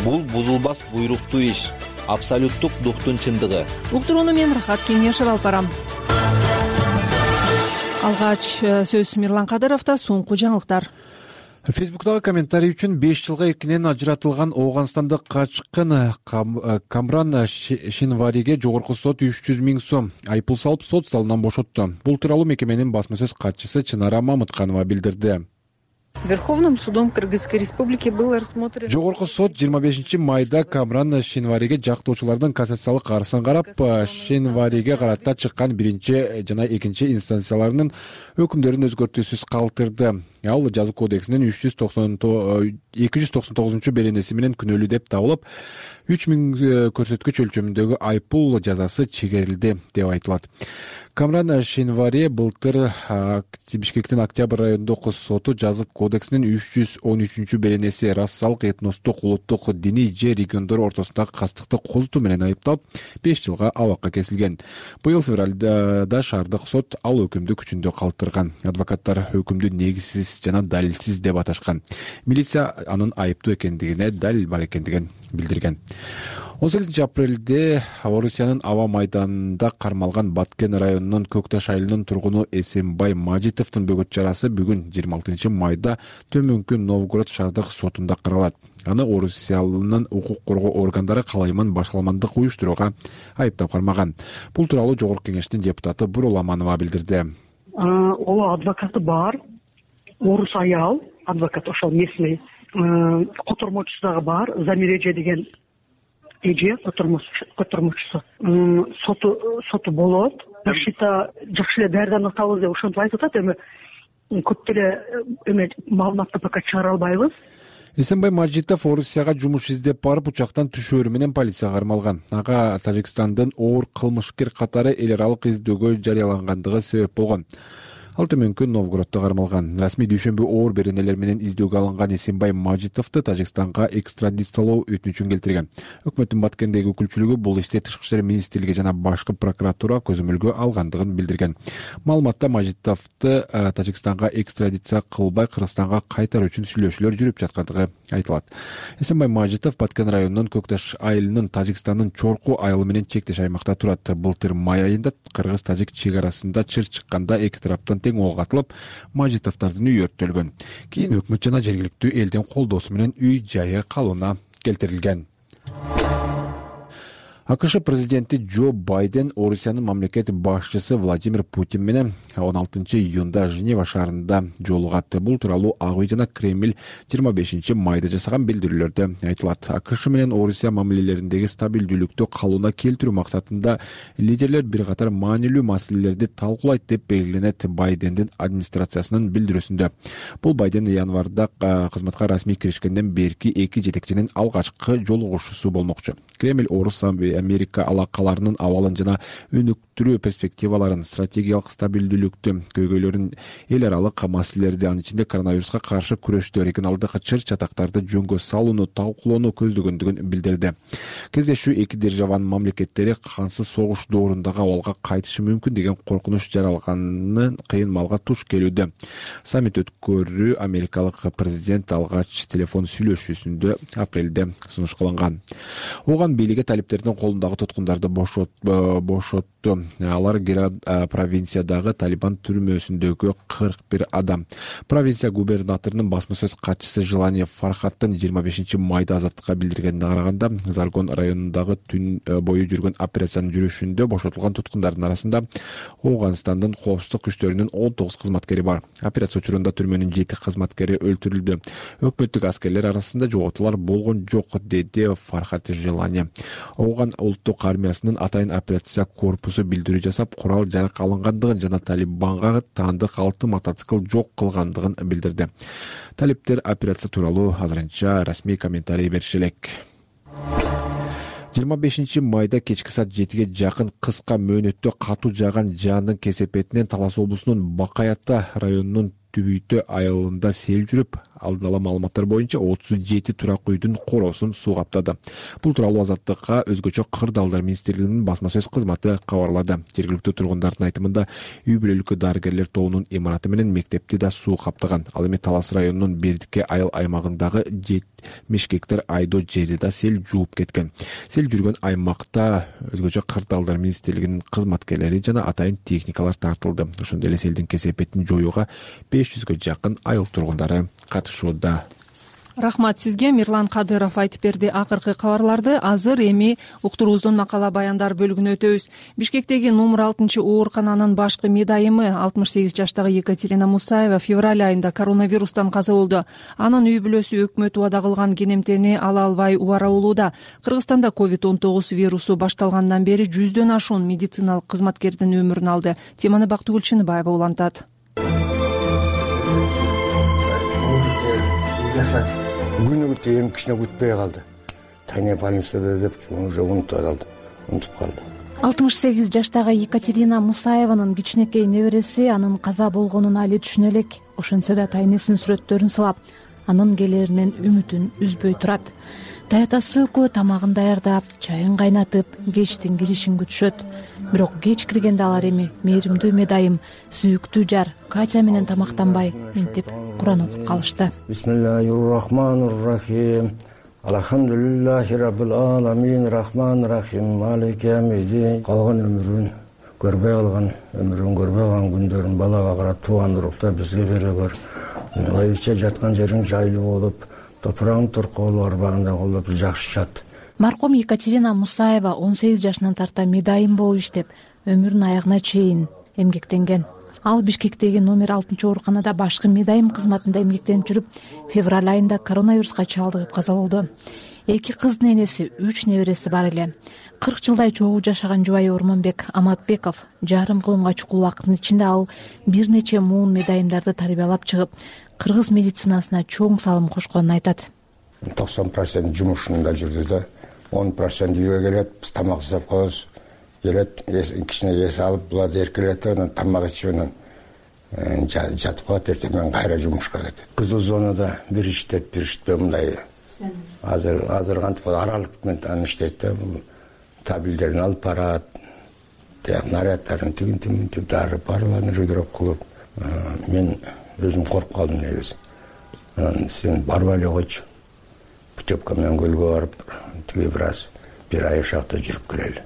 Бул бузулбас буйруктуу иш, абсолюттук дуктун чындыгы. Уктурууну мен Рахат Кеңешев алып барам. Алгач сөз Мирлан Кадыровдо, соңку жаңылыктар. Фейсбуктагы комментарий үчүн 5 жылга эркинен ажыратылган Ооганстандык качкын Камран Шинвариге жогорку сот 300 000 сом айыппул салып, сот залынан бошотту. Бул тууралуу мекеменин басма сөз катчысы Чынара Мамытканова билдирди. Верховным судом Кыргызской республики был рассмотрен. Жогорку сот 25 майда Камран Шинвариге жактоочулардын кассациялык арызын карап, Шинвариге карата чыккан биринчи жана экинчи инстанцияларынын өкүмдөрүн өзгөртүүсүз калтырды. Ал жаза кодексинин 299 беренеси менен күнөөлүү деп табылып, 3000 көрсөткүч өлчөмүндөгү айыппул жазасы чегерилди деп айтылат. Камран Шинвари былтыр Бишкектин Октябрь райондук соту жаза кодексинин 313 беренеси расалык, этностук, улуттук, диний же региондор ортосундагы кастыкты козутуу менен айыпталып, 5 жылга абакка кесилген. Быйыл февралда шаардык сот ал өкүмдү күчүндө калтырган. Адвокаттар өкүмдү негизсиз жана далилсиз деп аташкан. Милиция анын айыптуу экендигине, далил бар экендигин билдирген. 18 апрелде Орусиянын аба майданында кармалган Баткен районунун Көкташ айылынын тургуну Эсенбай Мажитовдун бөгөт чарасы бүгүн 26 майда Төмөнкү Новгород шаардык сотунда каралат. Аны Орусиянын укук коргоо органдары калайман башаламандык уюштурууга айыптап кармаган. Бул тууралуу Жогорку Кеңештин депутаты Бурул Аманова билдирди. Ооба, адвокаты бар. Орус аял, адвокат ошол местный, котормочусу дагы бар, Замиреже деген эже котормочусу. Соту болот. Башыта жакшы эле даярданып атабыз деп ошентип айтып атат. Эми көп эле маалыматты пока чыгара албайбыз. Эсенбай Мажитов Орусияга жумуш издеп барып, учактан түшөөрү менен полицияга кармалган. Ага Тажикстандын оор кылмышкер катары эл аралык издөөгө жарыялангандыгы себеп болгон. Ал Төмөнкү Новгороддо кармалган. Расмий дүйшөмбү оор беренелер менен издөөгө алынган Эсенбай Мажитовду Тажикстанга экстрадициялоо өтүнүчүн келтирген. Өкмөттүн Баткендеги өкүлчүлүгү бул иште Тышкы иштер министрлиги жана башкы прокуратура көзөмөлгө алгандыгын билдирген. Маалыматта Мажитовду Тажикстанга экстрадиция кылбай Кыргызстанга кайтаруу үчүн сүйлөшүүлөр жүрүп жаткандыгы айтылат. Эсенбай Мажитов Баткен районунун Көкташ айылынын Тажикстандын Чорку айылы менен чектеш аймакта турат. Былтыр май айында Кыргыз-Тажик чек арасында чыр чыкканда эки тараптан тең ок атылып, Мажитовдордун үйү өрттөлгөн. Кийин өкмөт жана жергиликтүү элдин колдоосу менен үй жайы калууна келтирилген. АКШ президенти Джо Байден Орусиянын мамлекет башчысы Владимир Путин менен 16 июнда Женева шаарында жолугат. Бул тууралуу Ак үй жана Кремль 25 майда жасаган билдирүүлөрдө айтылат. АКШ менен Орусия мамилелериндеги стабилдүүлүктү калууна келтирүү максатында лидерлер бир катар маанилүү маселелерди талкуулайт деп белгиленет Байдендин администрациясынын билдирүүсүндө. Бул Байден январда кызматка расмий киришкенден берки эки жетекчинин алгачкы жолугушуусу болмокчу. Кремль Орус Америка алакаларынын абалын жана өткөрүү перспективаларын, стратегиялык стабилдүүлүктү, көйгөйлөрүн, эл аралык маселелерди, анын ичинде коронавируска каршы күрөштү, регионалдык чыр-чатактарды жөнгө салууну талкуулоону көздөгөндүгүн билдирди. Кездешүү эки державанын мамлекеттери кансыз согуш доорундагы абалга кайтышы мүмкүн деген коркунуч жаралганын кыйын малга туш келүүдө. Саммит өткөрүү америкалык президент алгач телефон сүйлөшүүсүндө апрелде сунушталган. Оған бийлиги талиптердин колундагы туткундарды бошотту. Алар Герат провинциядагы Талибан түрмөсүндөгү 41 адам. Провинция губернаторунун басма сөз катчысы Желание Фархаттын 25 майда азаттыкка билдиргенине караганда, Заргон районундагы түн бою жүргөн операциянын жүрүшүндө бошотулган туткундардын арасында Ооганстандын коопсуздук күчтөрүнүн 19 кызматкери бар. Операция учурунда түрмөнүн 7 кызматкери өлтүрүлдү. Өкмөттүк аскерлер арасында жоготуулар болгон жок, деди Фархат Желание. Ооган улуттук армиясынын атайын операция корпусу билдирүү жасап, курал жарак алынгандыгын жана Талибанга таандык 6 мотоцикл жок кылгандыгын билдирди. Талиптер операция тууралуу азырынча расмий комментарий бериши элек. 25 майда кечки саат 7-ге жакын кыска мөөнөттө катуу жааган жаандын кесепетинен Талас облусунун Бакаята районунун Түбүйтө айылында сел жүрүп, алдын ала маалыматтар боюнча 37 турак үйдүн короосун суу каптады. Бул тууралуу Азаттыкка өзгөчө Кырдаалдар министрлигинин басма сөз кызматы кабарлады. Жергиликтүү тургундардын айтымында үй бүлөлүк дарыгерлер тобунун имараты менен мектепти да суу каптаган. Ал эми Талас районунун Бердикке айыл аймагындагы 70 гектар айдоо жерди да сел жууп кеткен. Сел жүргөн аймакта өзгөчө Кырдаалдар министрлигинин кызматкерлери жана атайын техникалар тартылды. Ошондой эле селдин кесепетин жоюуга 500гө жакын айыл тургундары катышууда. Рахмат сизге. Мирлан Кадыров айтып берди. Акыркы кабарларды азыр эми уктуруубуздун макала баяндар бөлүгүнө өтөбүз. Бишкектеги номер 6 оорукананын башкы медайымы 68 жаштагы Екатерина Мусаева февраль айында коронавирустан каза болду. Анын үй бүлөсү өкмөт убада кылган кенемтени ала албай убара болууда. Кыргызстанда COVID-19 вирусу башталгандан бери 100дөн ашуун медициналык кызматкердин өмүрүн алды. Теманы Бактыгүл Чыныбаева улантат. Күнүгү эми кичине күтпөй калды. Тайне больницада деп уже унутуп калды. 68 жаштагы Екатерина Мусаеванын кичинекей небереси анын каза болгонун али түшүнө элек. Ошентсе да тайнесинин сүрөттөрүн сылап, анын келеринен үмүтүн үзбөй турат. Таятасы экөө тамагын даярдап, чайын кайнатып, кечтин киришин күтүшөт. Бирок кеч киргенде алар эми мээримдүү медайым, сүйүктүү жар Катя менен тамактанбай, минтип Куран окуп калышты. Бисмиллахир-рахманир-рахим. Алхамдулиллахи раббил аламин, рахманир-рахим, малики ямидин. Калган өмүрүн көрбөй калган, күндөрүн балага карап тууган урукта бизге бере көр. Айча жаткан жериң жайлуу болуп, топурагың туркоолу арбагында колдоп жакшы жат. Маркум Екатерина Мусаева 18 жашынан тарта медайым болуп иштеп, өмүрүнүн аягына чейин эмгектенген. Ал Бишкектеги номер 6 ооруканада башкы медайым кызматында эмгектенип жүрүп, февраль айында коронавируска чалдыгып каза болду. 2 кыздын энеси, 3 небереси бар эле. 40 жылдай чогуу жашаган жубайы Ормонбек Аматбеков жарым кылымга чукул убакыттын ичинде ал бир нече муун медайымдарды тарбиялап чыгып, кыргыз медицинасына чоң салым кошконун айтат. 90% жумушунда жүрдү да, 10% үйгө келет, биз тамак жасап коебуз. Келет, кичине эс алып, булар эркелет, анан тамак ичип, анан жатып калат, эртең кайра жумушка кетет. Кызыл зонада бир иштеп, бир иштепей мындай. Азыр кантип аралык менен иштейт да, табилдерин алып барат, нарядтарын тигин дарып, барларын регулировка кылып. Мен өзүм коркуп калдым негизи. Анан сен барбай эле койчу. Путевка менен көлгө барып, тиги бир ай шакта жүрүп келели.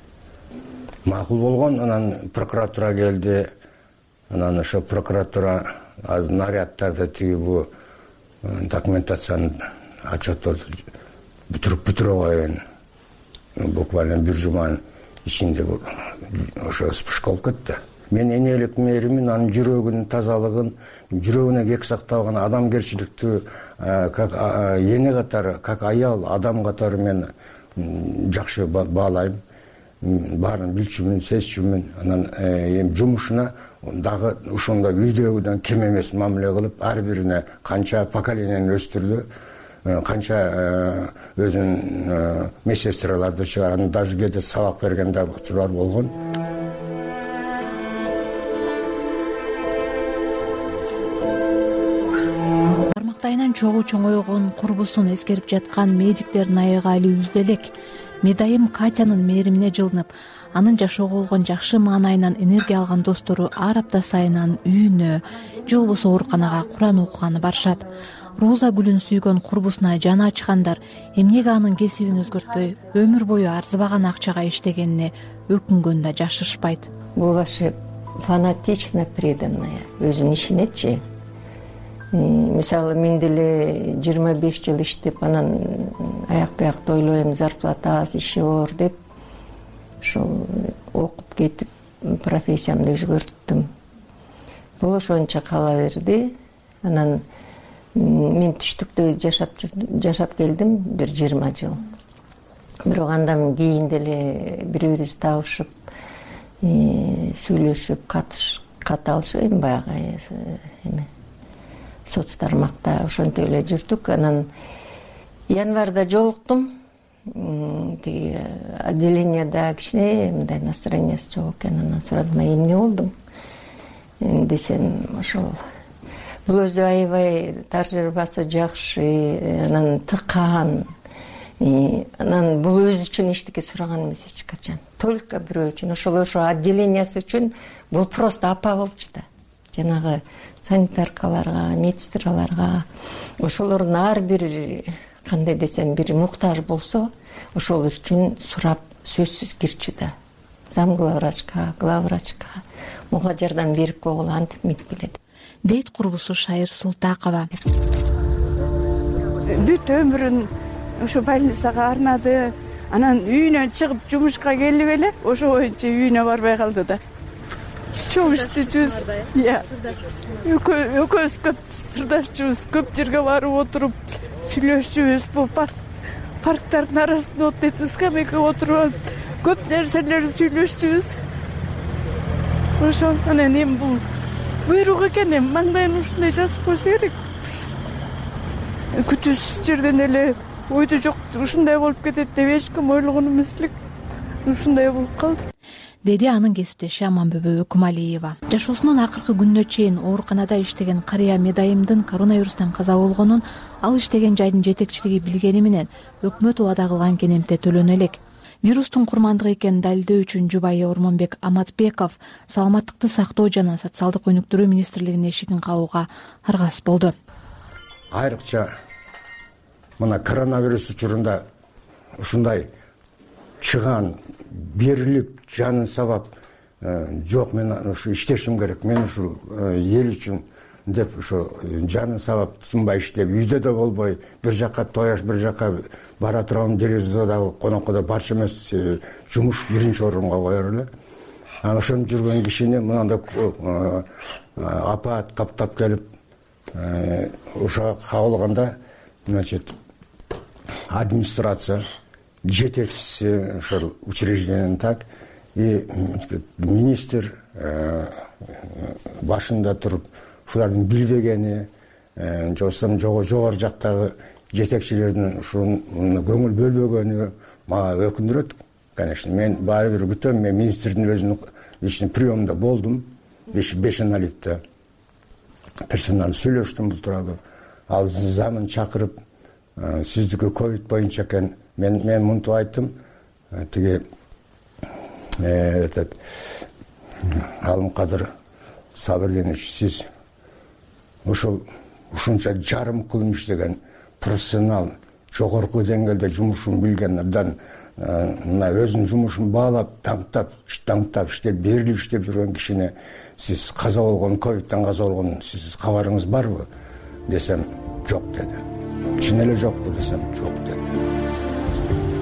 Макул болгон, анан прокуратура келди. Анан ошо прокуратура нарядтарды тиги бу документацияны отчетторду бүтүрө койгон. Буквально бир жуманын ичинде ошо спишка болуп кетти. Мен энелик мээримин, анын жүрөгүнүн тазалыгын, жүрөгүнө кек сакталган адамгерчиликтүү, как эне катары, как аял, адам катары мен жакшы баалайм. Баарын билчүмүн, сезчүмүн. Анан эми жумушуна дагы ошондой үйдөгүдөн кем эмес мамиле кылып, ар бирине канча поколенияны өстүрдү, канча өзүнүн медсестраларды чыгарган, даже кээде сабак берген да учурлар болгон. март айынан чогуу чоңойгон курбусун эскерип жаткан медиктердин аягы али үздү элек. Медайым Катянын мээримине жылынып, анын жашоого болгон жакшы маанайынан энергия алган достору ар апта сайынан үйүнө же болбосо ооруканага Куран окуганы барышат. Роза гүлүн сүйгөн курбусуна жаны ачкандар эмнеге анын кесибин өзгөртпөй өмүр бою арзыбаган акчага иштегенине өкүнгөн да жашырышпайт. Бул вообще фанатично преданная өзүнүн ишинечи. Мисалы мен деле 25 жыл иштеп анан аяк биякты ойлойм, зарплата аз, иши оор деп ошол окуп кетип профессиямды өзгөрттүм. Бул ошончо кала берди. Анан мен түштүктө жашап келдим бир 20 жыл. Бирок андан кийин деле бири-бирибизди табышып, сүйлөшүп, кат алышып, баягы эме соц тармакта ошентип эле жүрдүк. Анан январда жолуктум. Тиги отделенияда кичине мындай настроениясы жок экен. Анан сурадым, эмне болдуң десем, ошол бул өзү аябай тажрыйбасы жакшы, анан тыкан. Анан бул өзү үчүн эчтеке сураган эмес эч качан. Только бирөө үчүн, ошол отделениясы үчүн бул просто апа болчу да. Жанагы санитаркаларга, медсестраларга, ошолордун ар бир кандай десем, бир муктаж болсо, ошол үчүн сурап сөзсүз кирчү да. Зам главврачка, главврачка мага жардам берип койгула, антип мынтип келет. Дейт курбусу Шайыр Султакова. Бүт өмүрүн ошо больницага арнады. Анан үйүнөн чыгып жумушка келип эле ошо боюнча үйүнө барбай калды да. Чоң иштечүбүз. Экөөбүз көп сырдашчубуз, көп жерге барып отуруп сүйлөшчүбүз. Бул парктардын арасында отуруп, скамейкага отуруп, көп нерселерди сүйлөшчүбүз. Ошо анан эми бул буйрук экен, эми маңдайын ушундай жазып койсо керек. Күтүүсүз жерден эле ойду жок ушундай болуп кетет деп эч ким ойлогон эмес элек. Ушундай болуп калды, деди анын кесиптеши Аманбүбө Өкүмалиева. Жашоосунун акыркы күнүнө чейин ооруканада иштеген карыя Медайымдын коронавирустан каза болгонун ал иштеген жайдын жетекчилиги билгени менен өкмөт убада кылган кенемте төлөнө элек. Вирустун курмандыгы экенин далилдөө үчүн жубайы Ормонбек Аматбеков саламаттыкты сактоо жана социалдык өнүктүрүү министрлигинин эшигин кагууга аргасыз болду. Айрыкча мына коронавирус учурунда ушундай чыган, берилип, жанын сабап, жок мен ушу иштешим керек, мен ушул эл үчүн деп ушу жанын сабап тынбай иштеп, үйдө да болбой, бир жака тояш, бир жака бара турган телевизордагы конокко барчу эмес, жумуш биринчи орунга коер эле. Ошентип жүргөн кишини мындай апаат каптап келип, ушуга кабылганда, значит, администрация, жетекчиси ошол учреждениянын так и министр башында туруп ушулардын билбегени, же болбосо жогору жактагы жетекчилердин ушуну көңүл бөлбөгөнү мага өкүндүрөт. Конечно, мен баары бир күтөм, мен министрдин өзүнүн личный приемунда болдум, 5-наликте персонал сүйлөштүм бул тууралуу. Ал замын чакырып, сиздики ковид боюнча экен, мен мынтип айттым, тиги Алымкадыр Сабырдинович, сиз ушунча жарым кылым иштеген профессионал, жогорку деңгээлде жумушун билген абдан мына өзүнүн жумушун баалап, таңтап иштеп, берилип иштеп жүргөн кишине сиз каза болгон, ковидтен каза болгон сиз кабарыңыз барбы десем, жок деди. Чын эле жокпу десем, жок деди.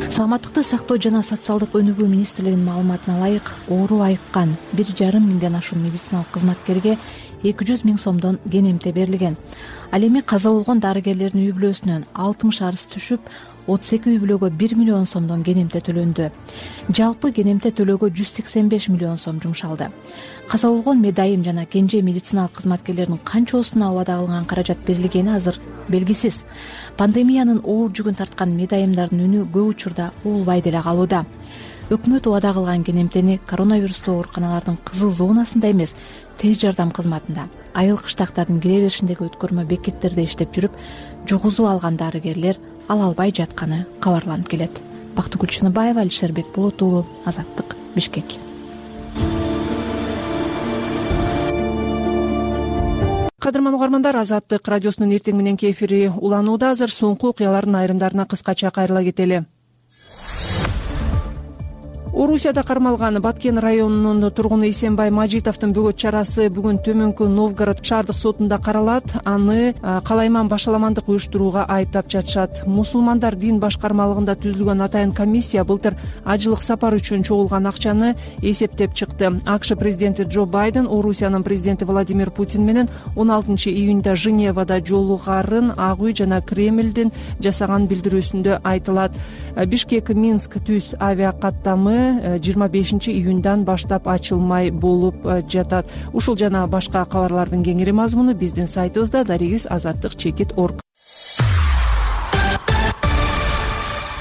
Саламаттыкты сактоо жана социалдык өнүгүү министрлигинин маалыматына ылайык, оору айыккан 1,5 миңден ашуун медициналык кызматкерге 200 000 сомдон кенемте берилген. Ал эми каза болгон дарыгерлердин үй бүлөсүнөн 60 арыз түшүп, 32 үй бүлөгө 1 миллион сомдон кенемте төлөндү. Жалпы кенемте төлөөгө 185 миллион сом жумшалды. Каза болгон Медайым жана кенже медициналык кызматкерлердин канчосуна убада кылган каражат берилгени азыр белгисиз. Пандемиянын оор жүгүн тарткан Медайымдардын үнү көп учурда угулбай деле калууда. өкмөт убада кылган кенемтени коронавирустуу ооруканалардын кызыл зонасында эмес, тез жардам кызматында, айыл кыштактардын кире беришиндеги өткөрмө бекеттерде иштеп жүрүп, жугузуп алган дарыгерлер ала албай жатканы кабарланып келет. Бактыгүл Чыныбаева, Алишер Бекболот уулу, Азаттык, Бишкек. Кадырман угармандар, Азаттык радиосунун эртең мененки эфири уланууда. Азыр соңку окуялардын айрымдарына кыскача кайрыла кетели. Орусияда кармалган Баткен районунун тургуну Исенбай Мажитовдун бөгөт чарасы бүгүн Төмөнкү Новгород шаардык сотунда каралат. Аны калайман башаламандык уюштурууга айыптап жатышат. Мусулмандар дин башкармалыгында түзүлгөн атайын комиссия былтыр ажылык сапар үчүн чогулган акчаны эсептеп чыкты. АКШ президенти Джо Байден Орусиянын президенти Владимир Путин менен 16 июнда Женевада жолугарын Ак үй жана Кремлдин жасаган билдирүүсүндө айтылат. Бишкек-Минск түз авиакаттамы 25 июндан баштап ачылмай болуп жатат. Ушул жана башка кабарлардын кеңири мазмуну биздин сайтыбызда darigis-azаттыk.org.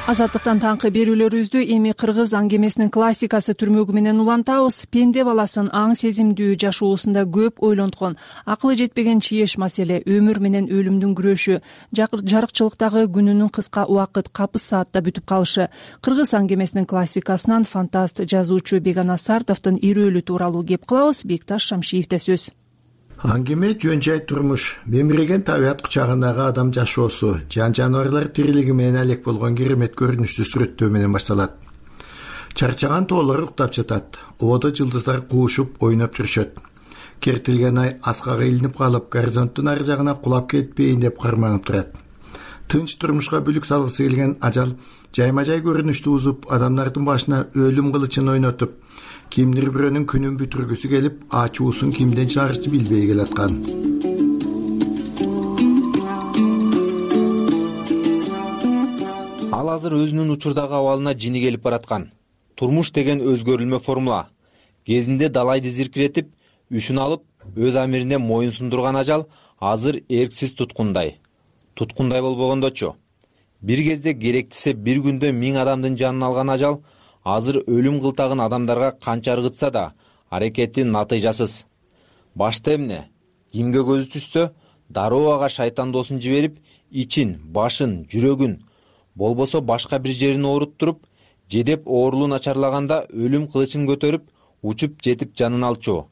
Азаттыктан таңкы берүүлөрүбүздү эми кыргыз аңгемесинин классикасы түрмөгү менен улантабыз. Пенде баласын аң сезимдүү жашоосунда көп ойлонткон, акылы жетпеген чиеш маселе өмүр менен өлүмдүн күрөшү, жарыкчылыктагы күнүнүн кыска убакыт капыс саатта бүтүп калышы. Кыргыз аңгемесинин классикасынан фантаст жазуучу Бегана Сартовдун ирөөлү тууралуу кеп кылабыз. Бекташ Шамшиевде сөз. Аңгеме жөн жай турмуш, мемиреген табият кучагындагы адам жашоосу, жан-жаныбарлар тирилиги менен алек болгон керемет көрүнүштү сүрөттөө менен башталат. Чарчаган тоолор уктап жатат, ободо жылдыздар куушуп ойноп жүрүшөт. Кертилген ай аскага илинип калып, горизонттун ар жагына кулап кетпейин деп карманып турат. Тынч турмушка бүлүк салгысы келген ажал жайма-жай көрүнүштү узуп, адамдардын башына өлүм кылычын ойнотуп, кимдир бирөөнүн күнүн бүтүргүсү келип, ачуусун кимден чыгарышты билбей келаткан. Ал азыр өзүнүн учурдагы абалына жини келип бараткан. Турмуш деген өзгөрүлмө формула. Кезинде далайды зиркиретип, үшүн алып, өз амирине моюн сундурган ажал азыр эрксиз туткундай болбогондочу. Бир кезде керектисе бир күндө 1000 адамдын жанын алган ажал азыр өлүм кылтагын адамдарга канча ыргытса да аракети натыйжасыз. Башта эмне? Кимге көзү түшсө, дароо ага шайтан досун жиберип, ичин, башын, жүрөгүн, болбосо башка бир жерин ооруттуруп, жедеп оорулуу начарлаганда өлүм кылычын көтөрүп, учуп жетип жанын алчу.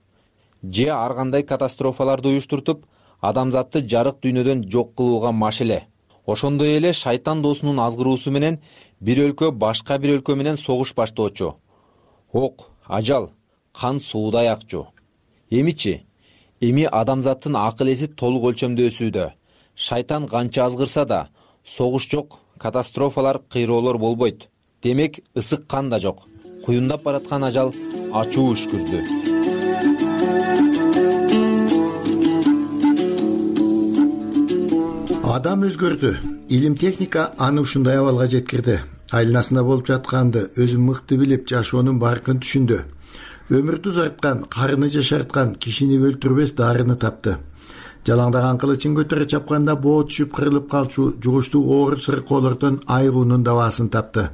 Же ар кандай катастрофаларды уюштуртуп, адамзатты жарык дүйнөдөн жок кылууга машеле. Ошондой эле шайтан досунун азгыруусу менен бир өлкө башка бир өлкө менен согуш баштоочу. Ок, ажал, кан суудай акчу. Эми адамзаттын акыл эси толук өлчөмдө өсүүдө. Шайтан канча азгырса да, согуш жок, катастрофалар, кыйроолор болбойт. Демек, ысык кан да жок. Куюндап бараткан ажал ачуу үшкүрдү. Адам өзгөрдү. Илим техника аны ушундай абалга жеткирди. Айланасында болуп жатканды өзү мыкты билип, жашоонун баркын түшүндү. Өмүрдү узарткан, карыны жашарткан, кишини өлтүрбөс дарыны тапты. Жалаңдаган кылычын көтөрө чапканда боо түшүп кырылып калчу жугуштуу оор сыркоолордон айгуунун дабаасын тапты.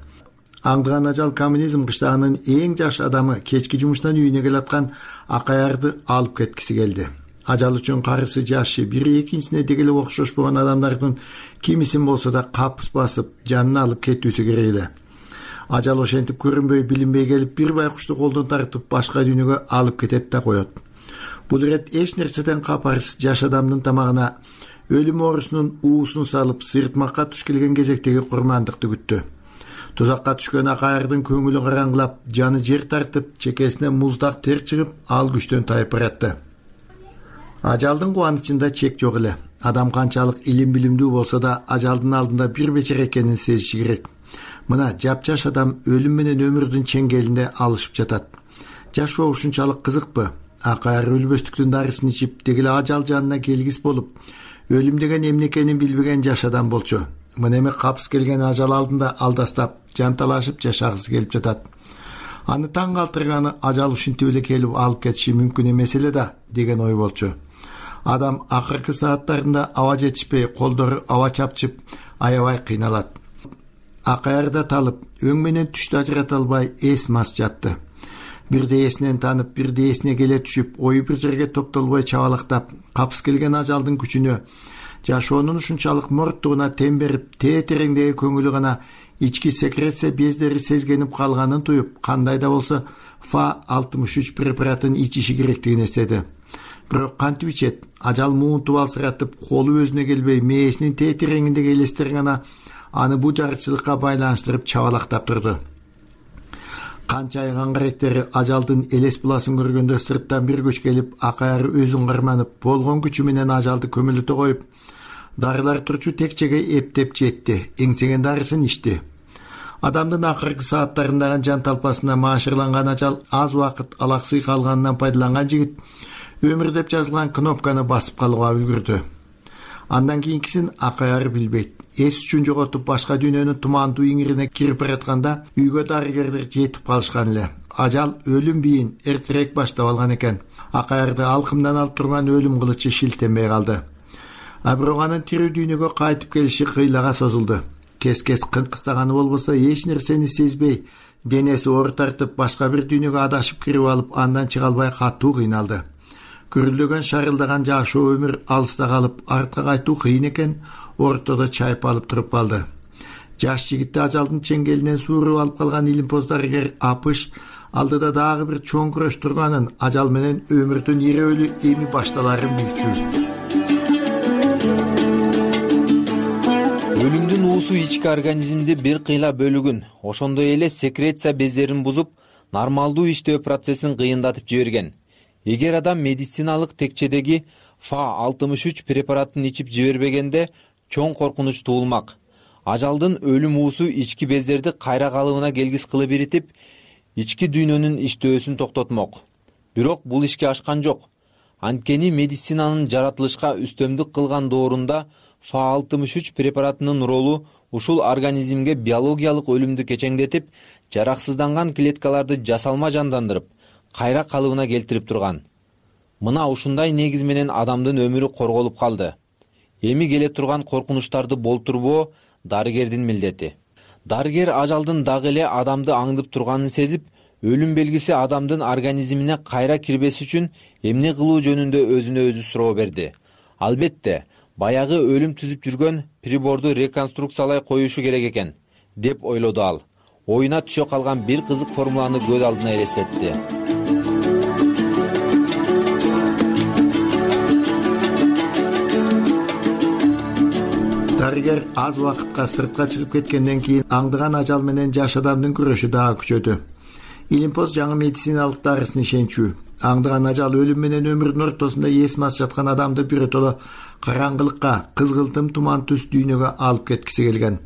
Аңдыган ажал коммунизм кыштагынын эң жаш адамы кечки жумуштан үйүнө келаткан Акаярды алып кеткиси келди. Ажал үчүн карысы жашы бири экинчисине дегеле окшошпогон адамдардын кимисин болсо да капыс басып, жанын алып кетүүсү керек эле. Ажал ошентип көрүнбөй, билинбей келип, бир байкушту колдон тартып башка дүйнөгө алып кетет да коет. Бул ирет эч нерседен капарсыз жаш адамдын тамагына өлүм оорусунун уусун салып, сыйыртмакка туш келген кезектеги курмандыкты күттү. Тузакка түшкөн Акаярдын көңүлү караңгылап, жаны жер тартып, чекесине муздак тер чыгып, ал күчтөн тайып баратты. Ажалдын кубанычында чек жок эле. Адам канчалык илим билимдүү болсо да, ажалдын алдында бир бечара экенин сезиши керек. Мына жапжаш адам өлүм менен өмүрдүн чеңгелинде алышып жатат. Жашоо ушунчалык кызыкпы? Акаяр өлбөстүктүн дарысын ичип, дегеле ажал жанына келгис болуп, өлүм деген эмне экенин билбеген жаш адам болчу. Мына эми капыс келген ажал алдында алдастап, жанталашып жашагысы келип жатат. Аны таң калтырганы ажал ушинтип эле келип алып кетиши мүмкүн эмес эле да деген ой болчу. Адам акыркы сааттарында аба жетишпей, колдору аба чапчып, аябай кыйналат. акаярда талып, өң менен түштү ажырата албай эс мас жатты. Бирде эсинен танып, бирде эсине келе түшүп, ою бир жерге токтолбой чабалактап, капыс келген ажалдын күчүнө, жашоонун ушунчалык морттугуна темберип, тетереңдеги көңүлү гана ички секреция бездери сезгенип калганын туюп, кандай да болсо Fa-63 препаратын ичиши керектигин эстеди. Бирок кантип ичет? Ажал муунтуп алсыратып, колу өзүнө келбей, мээсинин тетереңиндеги элестер гана аны бу жарычылыкка байланыштырып чабалактап турду. Канча айган каректери ажалдын элес буласын көргөндө сырттан бир күч келип, акаяры өзүн карманып, болгон күчү менен ажалды көмүлүтө коюп, дарылар турчу текчеге эптеп жетти, эңсеген дарысын ичти. Адамдын акыркы сааттарындагы жан талпасына маашырланган ажал аз убакыт алаксый калганынан пайдаланган жигит өмүр деп жазылган кнопканы басып калууга үлгүрдү. Андан кийинкисин акаяры билбейт. Эс үчүн жоготуп башка дүйнөнүн тумандуу иңирине кирип баратканда үйгө дарыгерлер жетип калышкан эле. Ажал өлүм бийин эртерээк баштап алган экен. Акаярды алкымдан алып турган өлүм кылычы шилтенбей калды. А бирок анын тирүү дүйнөгө кайтып келиши кыйлага созулду. Кес-кес кынкыстаганы болбосо эч нерсени сезбей, денеси оор тартып, башка бир дүйнөгө адашып кирип алып, андан чыга албай катуу кыйналды. Күрүлдөгөн шарылдаган жашоо өмүр алыста калып, артка кайтуу кыйын экен, ортодо чайып алып туруп калды. Жаш жигитти ажалдын чеңгелинен сууруп алып калган илимпоз дарыгер Апыш алдыда дагы бир чоң күрөш турганын, ажал менен өмүрдүн ирөөлү эми башталарын билчү. Өлүмдүн уусу ички организмди бир кыйла бөлүгүн, ошондой эле секреция бездерин бузуп, нормалдуу иштөө процессин кыйындатып жиберген. Эгер адам медициналык текчедеги Fa-63 препаратын ичип жибербегенде чоң коркунуч туулмак. Ажалдын өлүм уусу ички бездерди кайра калыбына келгис кылып иритип, ички дүйнөнүн иштөөсүн токтотмок. Бирок бул ишке ашкан жок. Анткени медицинанын жаратылышка үстөмдүк кылган доорунда Fa-63 препаратынын ролу ушул организмге биологиялык өлүмдү кечеңдетип, жараксызданган клеткаларды жасалма жандандырып, кайра калыбына келтирип турган. Мына ушундай негиз менен адамдын өмүрү корголуп калды. Эми келе турган коркунучтарды болтурбоо дарыгердин милдети. Дарыгер ажалдын дагы эле адамды аңдып турганын сезип, өлүм белгиси адамдын организмине кайра кирбес үчүн эмне кылуу жөнүндө өзүнө өзү суроо берди. Албетте, баягы өлүм түзүп жүргөн приборду реконструкциялай коюшу керек экен, деп ойлоду ал. Оюна түшө калган бир кызык формуланы көз алдына элестетти. Дарыгер аз убакытка сыртка чыгып кеткенден кийин аңдыган ажал менен жаш адамдын күрөшү дагы күчөдү. Илимпоз жаңы медициналык дарысын ишенчү. Аңдыган ажал өлүм менен өмүрдүн ортосунда эс мас жаткан адамды биротоло караңгылыкка, кызгылтым туман түс дүйнөгө алып кеткиси келген.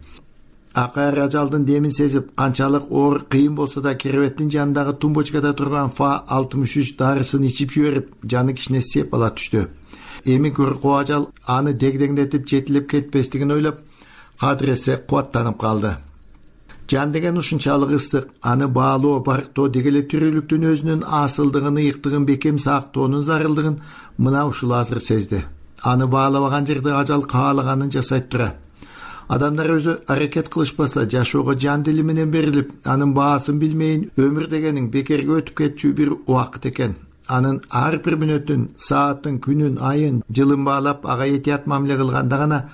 Акаяр ажалдын демин сезип, канчалык оор кыйын болсо да керебеттин жанындагы тумбочкада турган Fa-63 дарысын ичип жиберип, жаны кичине сеп ала түштү. Эми көркөө ажал аны дегдеңдетип жетилип кетпестигин ойлоп, кадыресе кубаттанып калды. Жан деген ушунчалык ысык, аны баалоо, барктоо деги эле тирүүлүктүн өзүнүн асылдыгын, ыйыктыгын бекем сактоонун зарылдыгын мына ушул азыр сезди. Аны баалабаган жерде ажал каалаганын жасайт тура. Адамдар өзү аракет кылышпаса, жашоого жан дили менен берилип, анын баасын билмейин өмүр дегенин бекерге өтүп кетчү бир убакыт экен. Анын ар бир мүнөтүн, саатын, күнүн, айын, жылын баалап, ага этият мамиле кылганда гана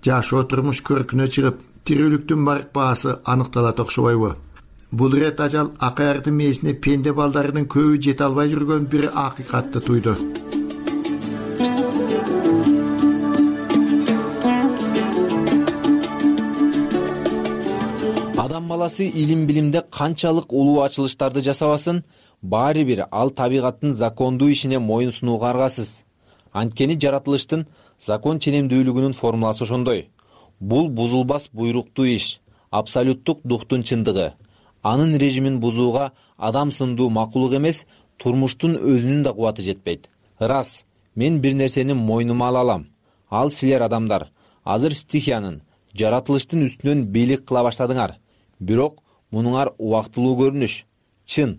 жашоо турмуш көркүнө чыгып, тирүүлүктүн барк баасы аныкталат окшобойбу? Бул ирет ажал акаярдын мээсине пенде балдарынын көбү жете албай жүргөн бир акыйкатты туйду. Адам баласы илим билимде канчалык улуу ачылыштарды жасабасын, баары бир ал табигаттын закондуу ишине моюн сунууга аргасыз. Анткени жаратылыштын закон ченемдүүлүгүнүн формуласы ошондой. Бул бузулбас буйруктуу иш, абсолюттук духтун чындыгы. Анын режимин бузууга адам сындуу макулук эмес, турмуштун өзүнүн да кубаты жетпейт. Рас, мен бир нерсени мойнума ала алам. Ал силер адамдар, азыр стихиянын, жаратылыштын үстүнөн бийлик кыла баштадыңар. Бирок мунуңар убактылуу көрүнүш. Чын,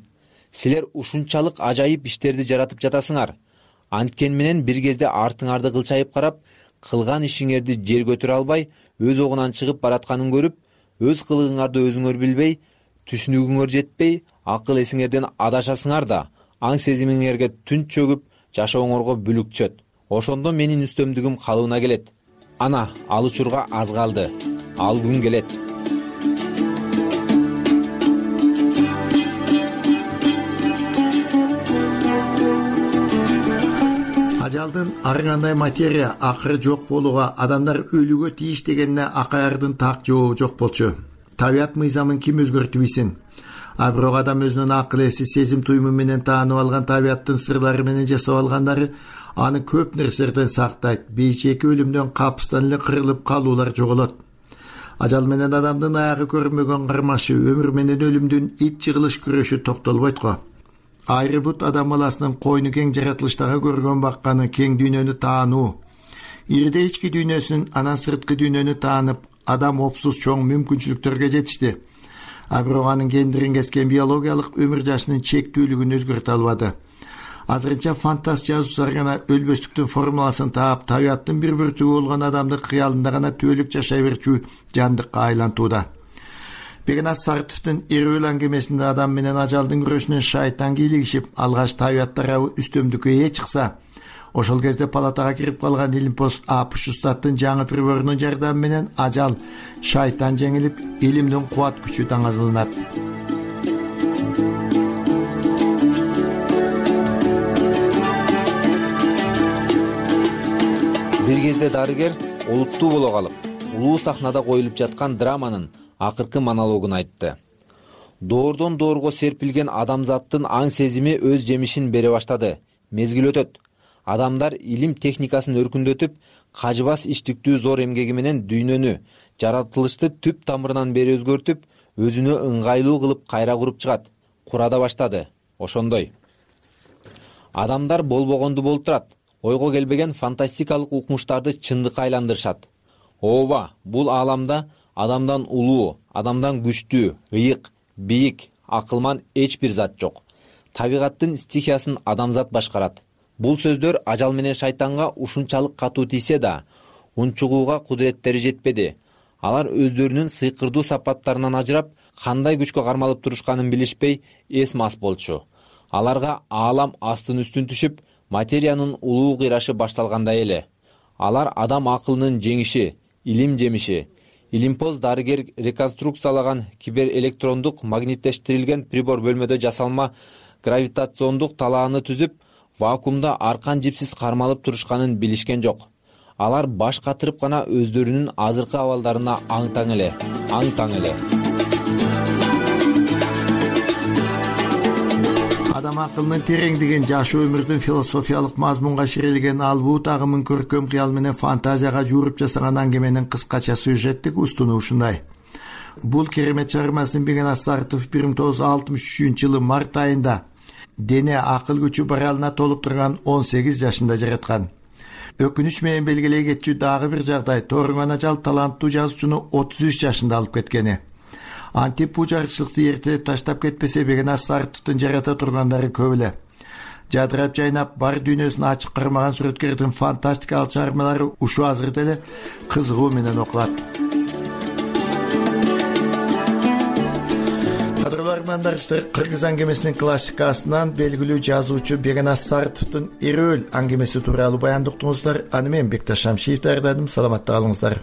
силер ушунчалык ажайып иштерди жаратып жатасыңар. Анткен менен бир кезде артыңарды кылчайып карап, кылган ишиңерди жер көтөрө албай, өз огунан чыгып баратканын көрүп, өз кылыгыңарды өзүңөр билбей, түшүнүүгүңөр жетпей, акыл эсиңерден адашасыңар да аң сезимиңерге түн чөгүп, жашооңорго бүлүк түшөт. Ошондо менин үстөмдүгүм калыбына келет. Ана, ал учурга аз калды. Ал күн келет. Ажалдын ар кандай материя акыры жок болууга, адамдар өлүүгө тийиш дегенине акаярдын так жообу жок болчу. Табият мыйзамын ким өзгөртүп ийсин? А бирок адам өзүнүн акыл эси, сезим туюму менен таанып алган табияттын сырлары менен жасап алгандары аны көп нерселерден сактайт. Бейчеки өлүмдөн капыстан эле кырылып калуулар жоголот. Ажал менен адамдын аягы көрүнбөгөн кармашы, өмүр менен өлүмдүн ит жыгылыш күрөшү токтолбойт го. Айры бут адам баласынын койну кең жаратылыштагы көргөн бакканы кең дүйнөнү таануу. Ирде ички дүйнөсүн, анан сырткы дүйнөнү таанып, адам опсуз чоң мүмкүнчүлүктөргө жетишти. А бирок анын кендирин кескен биологиялык өмүр жашынын чектүүлүгүн өзгөртө албады. Азырынча фантаст жазуучулар гана өлбөстүктүн формуласын таап, табияттын бир бүртүгү болгон адамды кыялында гана түбөлүк жашай берчү жандыкка айлантууда. Бегенас Сартовдун Эрүүл аңгемесинде адам менен ажалдын күрөшүнөн шайтан кийлигишип, алгач табият тарабы үстөмдүккө ээ чыкса, ошол кезде палатага кирип калган илимпоз Апуштаттын жаңы приборунун жардамы менен ажал, шайтан жеңилип, илимдин кубат күчү даңазыланат. Бир кезде дарыгер олуттуу боло калып, улуу сахнада коюлуп жаткан драманын акыркы монологун айтты. Доордон доорго серпилген адамзаттын аң сезими өз жемишин бере баштады. Мезгил өтөт. Адамдар илим техникасын өркүндөтүп, кажыбас иштиктүү зор эмгеги менен дүйнөнү, жаратылышты түп тамырынан бери өзгөртүп, өзүнө ыңгайлуу кылып кайра куруп чыгат. Кура да баштады. Ошондой. Адамдар болбогонду болтурат. Ойго келбеген фантастикалык укмуштарды чындыкка айландырышат. Ооба, бул ааламда адамдан улуу, адамдан күчтүү, ыйык, бийик, акылман эч бир зат жок. Табигаттын стихиясын адамзат башкарат. Бул сөздөр ажал менен шайтанга ушунчалык катуу тийсе да, унчугууга кудуреттери жетпеди. Алар өздөрүнүн сыйкырдуу сапаттарынан ажырап, кандай күчкө кармалып турушканын билишпей, эс мас болчу. Аларга аалам астын үстүн түшүп, материянын улуу кыйрашы башталгандай эле. Алар адам акылынын жеңиши, илим жемиши. Илимпоз дарыгер реконструкциялаган киберэлектрондук магниттештирилген прибор бөлмөдө жасалма гравитациондук талааны түзүп, вакуумда аркан жипсиз кармалып турушканын билишкен жок. Алар баш катырып гана өздөрүнүн азыркы абалдарына аң-таң эле. Адам акылынын тереңдигин, жашоо өмүрдүн философиялык мазмунга ширилген албуу тагымын көркөм кыял менен фантазияга жууруп жасаган аңгеменин кыскача сюжеттик устуну ушундай. Бул керемет чыгармасын Бегенас Сартов 1963-жылы март айында дене акыл күчү баралына толуп турган 18 жашында жараткан. Өкүнүч менен белгилей кетчү дагы бир жагдай, Торгон ажал таланттуу жазуучуну 33 жашында алып кеткени. Антип бул жарчылыкты эрте таштап кетпесе, Бегенас Сартовдун жарата тургандары көп эле. Жадырап жайнап, бар дүйнөсүн ачык кармаган сүрөткөрдүн фантастикалык чыгармалары ушу азырда эле кызыгуу менен окулат. Кыргыз аңгемесинин классикасынан белгилүү жазуучу Бегенас Сартовдун Эрүүл аңгемеси тууралуу баянды уктуңуздар. Аны мен Бекташ Шамшиев даярдадым. Саламатта калыңыздар.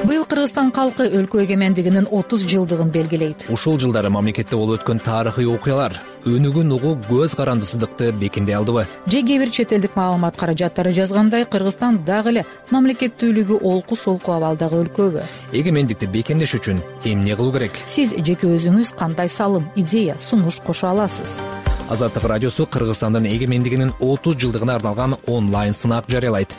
Быйыл Кыргызстан калкы өлкө эгемендигинин 30 жылдыгын белгилейт. Ушул жылдары мамлекетте болуп өткөн тарыхый окуялар өнүгүн угуу көз карандысыздыкты бекемдей алдыбы? Же кээ бир чет элдик маалымат каражаттары жазгандай, Кыргызстан дагы эле мамлекеттүүлүгү олку-солку абалдагы өлкөбү? Эгемендикти бекемдеш үчүн эмне кылуу керек? Сиз жеке өзүңүз кандай салым, идея, сунуш кошо аласыз? Азаттык радиосу Кыргызстандын эгемендигинин 30 жылдыгына арналган онлайн сынак жарыялайт.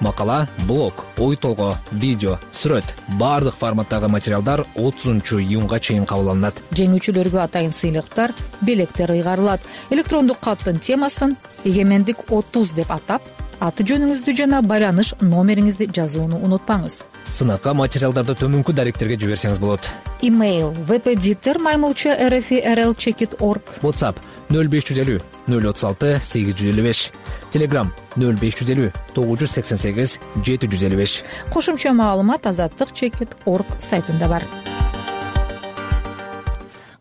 Макала, блог, ой толгоо, видео, сүрөт, бардык форматтагы материалдар 30-июнга чейин кабыл алынат. Жеңүүчүлөргө атайын сыйлыктар, белектер ыйгарылат. Электрондук каттын темасын «Эгемендик 30» деп атап, аты жөнүңүздү жана байланыш номериңизди жазууну унутпаңыз. Сынакка материалдарды төмөнкү даректерге жиберсеңиз болот. Имейл vpditor@rl.org. WhatsApp 0550 036 855. Telegram 0550 988 755. Кошумча маалымат azatlyk.org сайтында бар.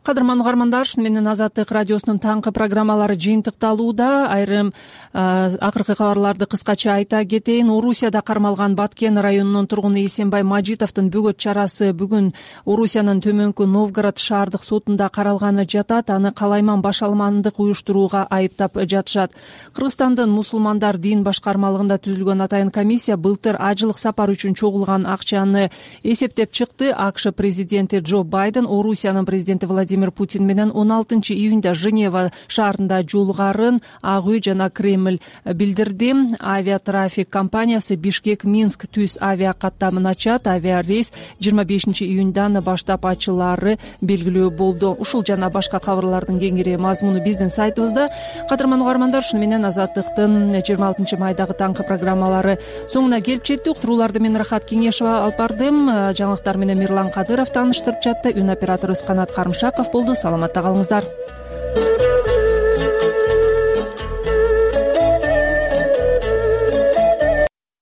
Кадырман угармандар, ушу менен Азаттык радиосунун таңкы программалары жыйынтыкталууда. Айрым акыркы кабарларды кыскача айта кетейин. Орусияда кармалган Баткен районунун тургуну Эсенбай Мажитовдун бөгөт чарасы бүгүн Орусиянын Төмөнкү Новгород шаардык сотунда каралганы жатат. Аны калайман башаламандык уюштурууга айыптап жатышат. Кыргызстандын мусулмандар дин башкармалыгында түзүлгөн атайын комиссия былтыр ажылык сапар үчүн чогулган акчаны эсептеп чыкты. АКШ президенти Джо Байден Орусиянын президенти Владимир Путин менен 16 июнда Женева шаарында жолугарын Ак үй жана Кремль билдирди. Авиатрафик компаниясы Бишкек-Минск түз авиа каттамын ачат. Авиа рейс 25 июндан баштап ачылары белгилүү болду. Ушул жана башка кабарлардын кеңири мазмуну биздин сайтыбызда. Кадырман угармандар, ушу менен Азаттыктын 26 майдагы таңкы программалары соңуна келип жетти. Уктурууларды мен Рахат Кеңешова алып бардым. Жаңылыктар менен Мирлан Кадыров тааныштырып жатты. Үн операторубуз Канат Карымшаков болду. Саламатта калыңыздар.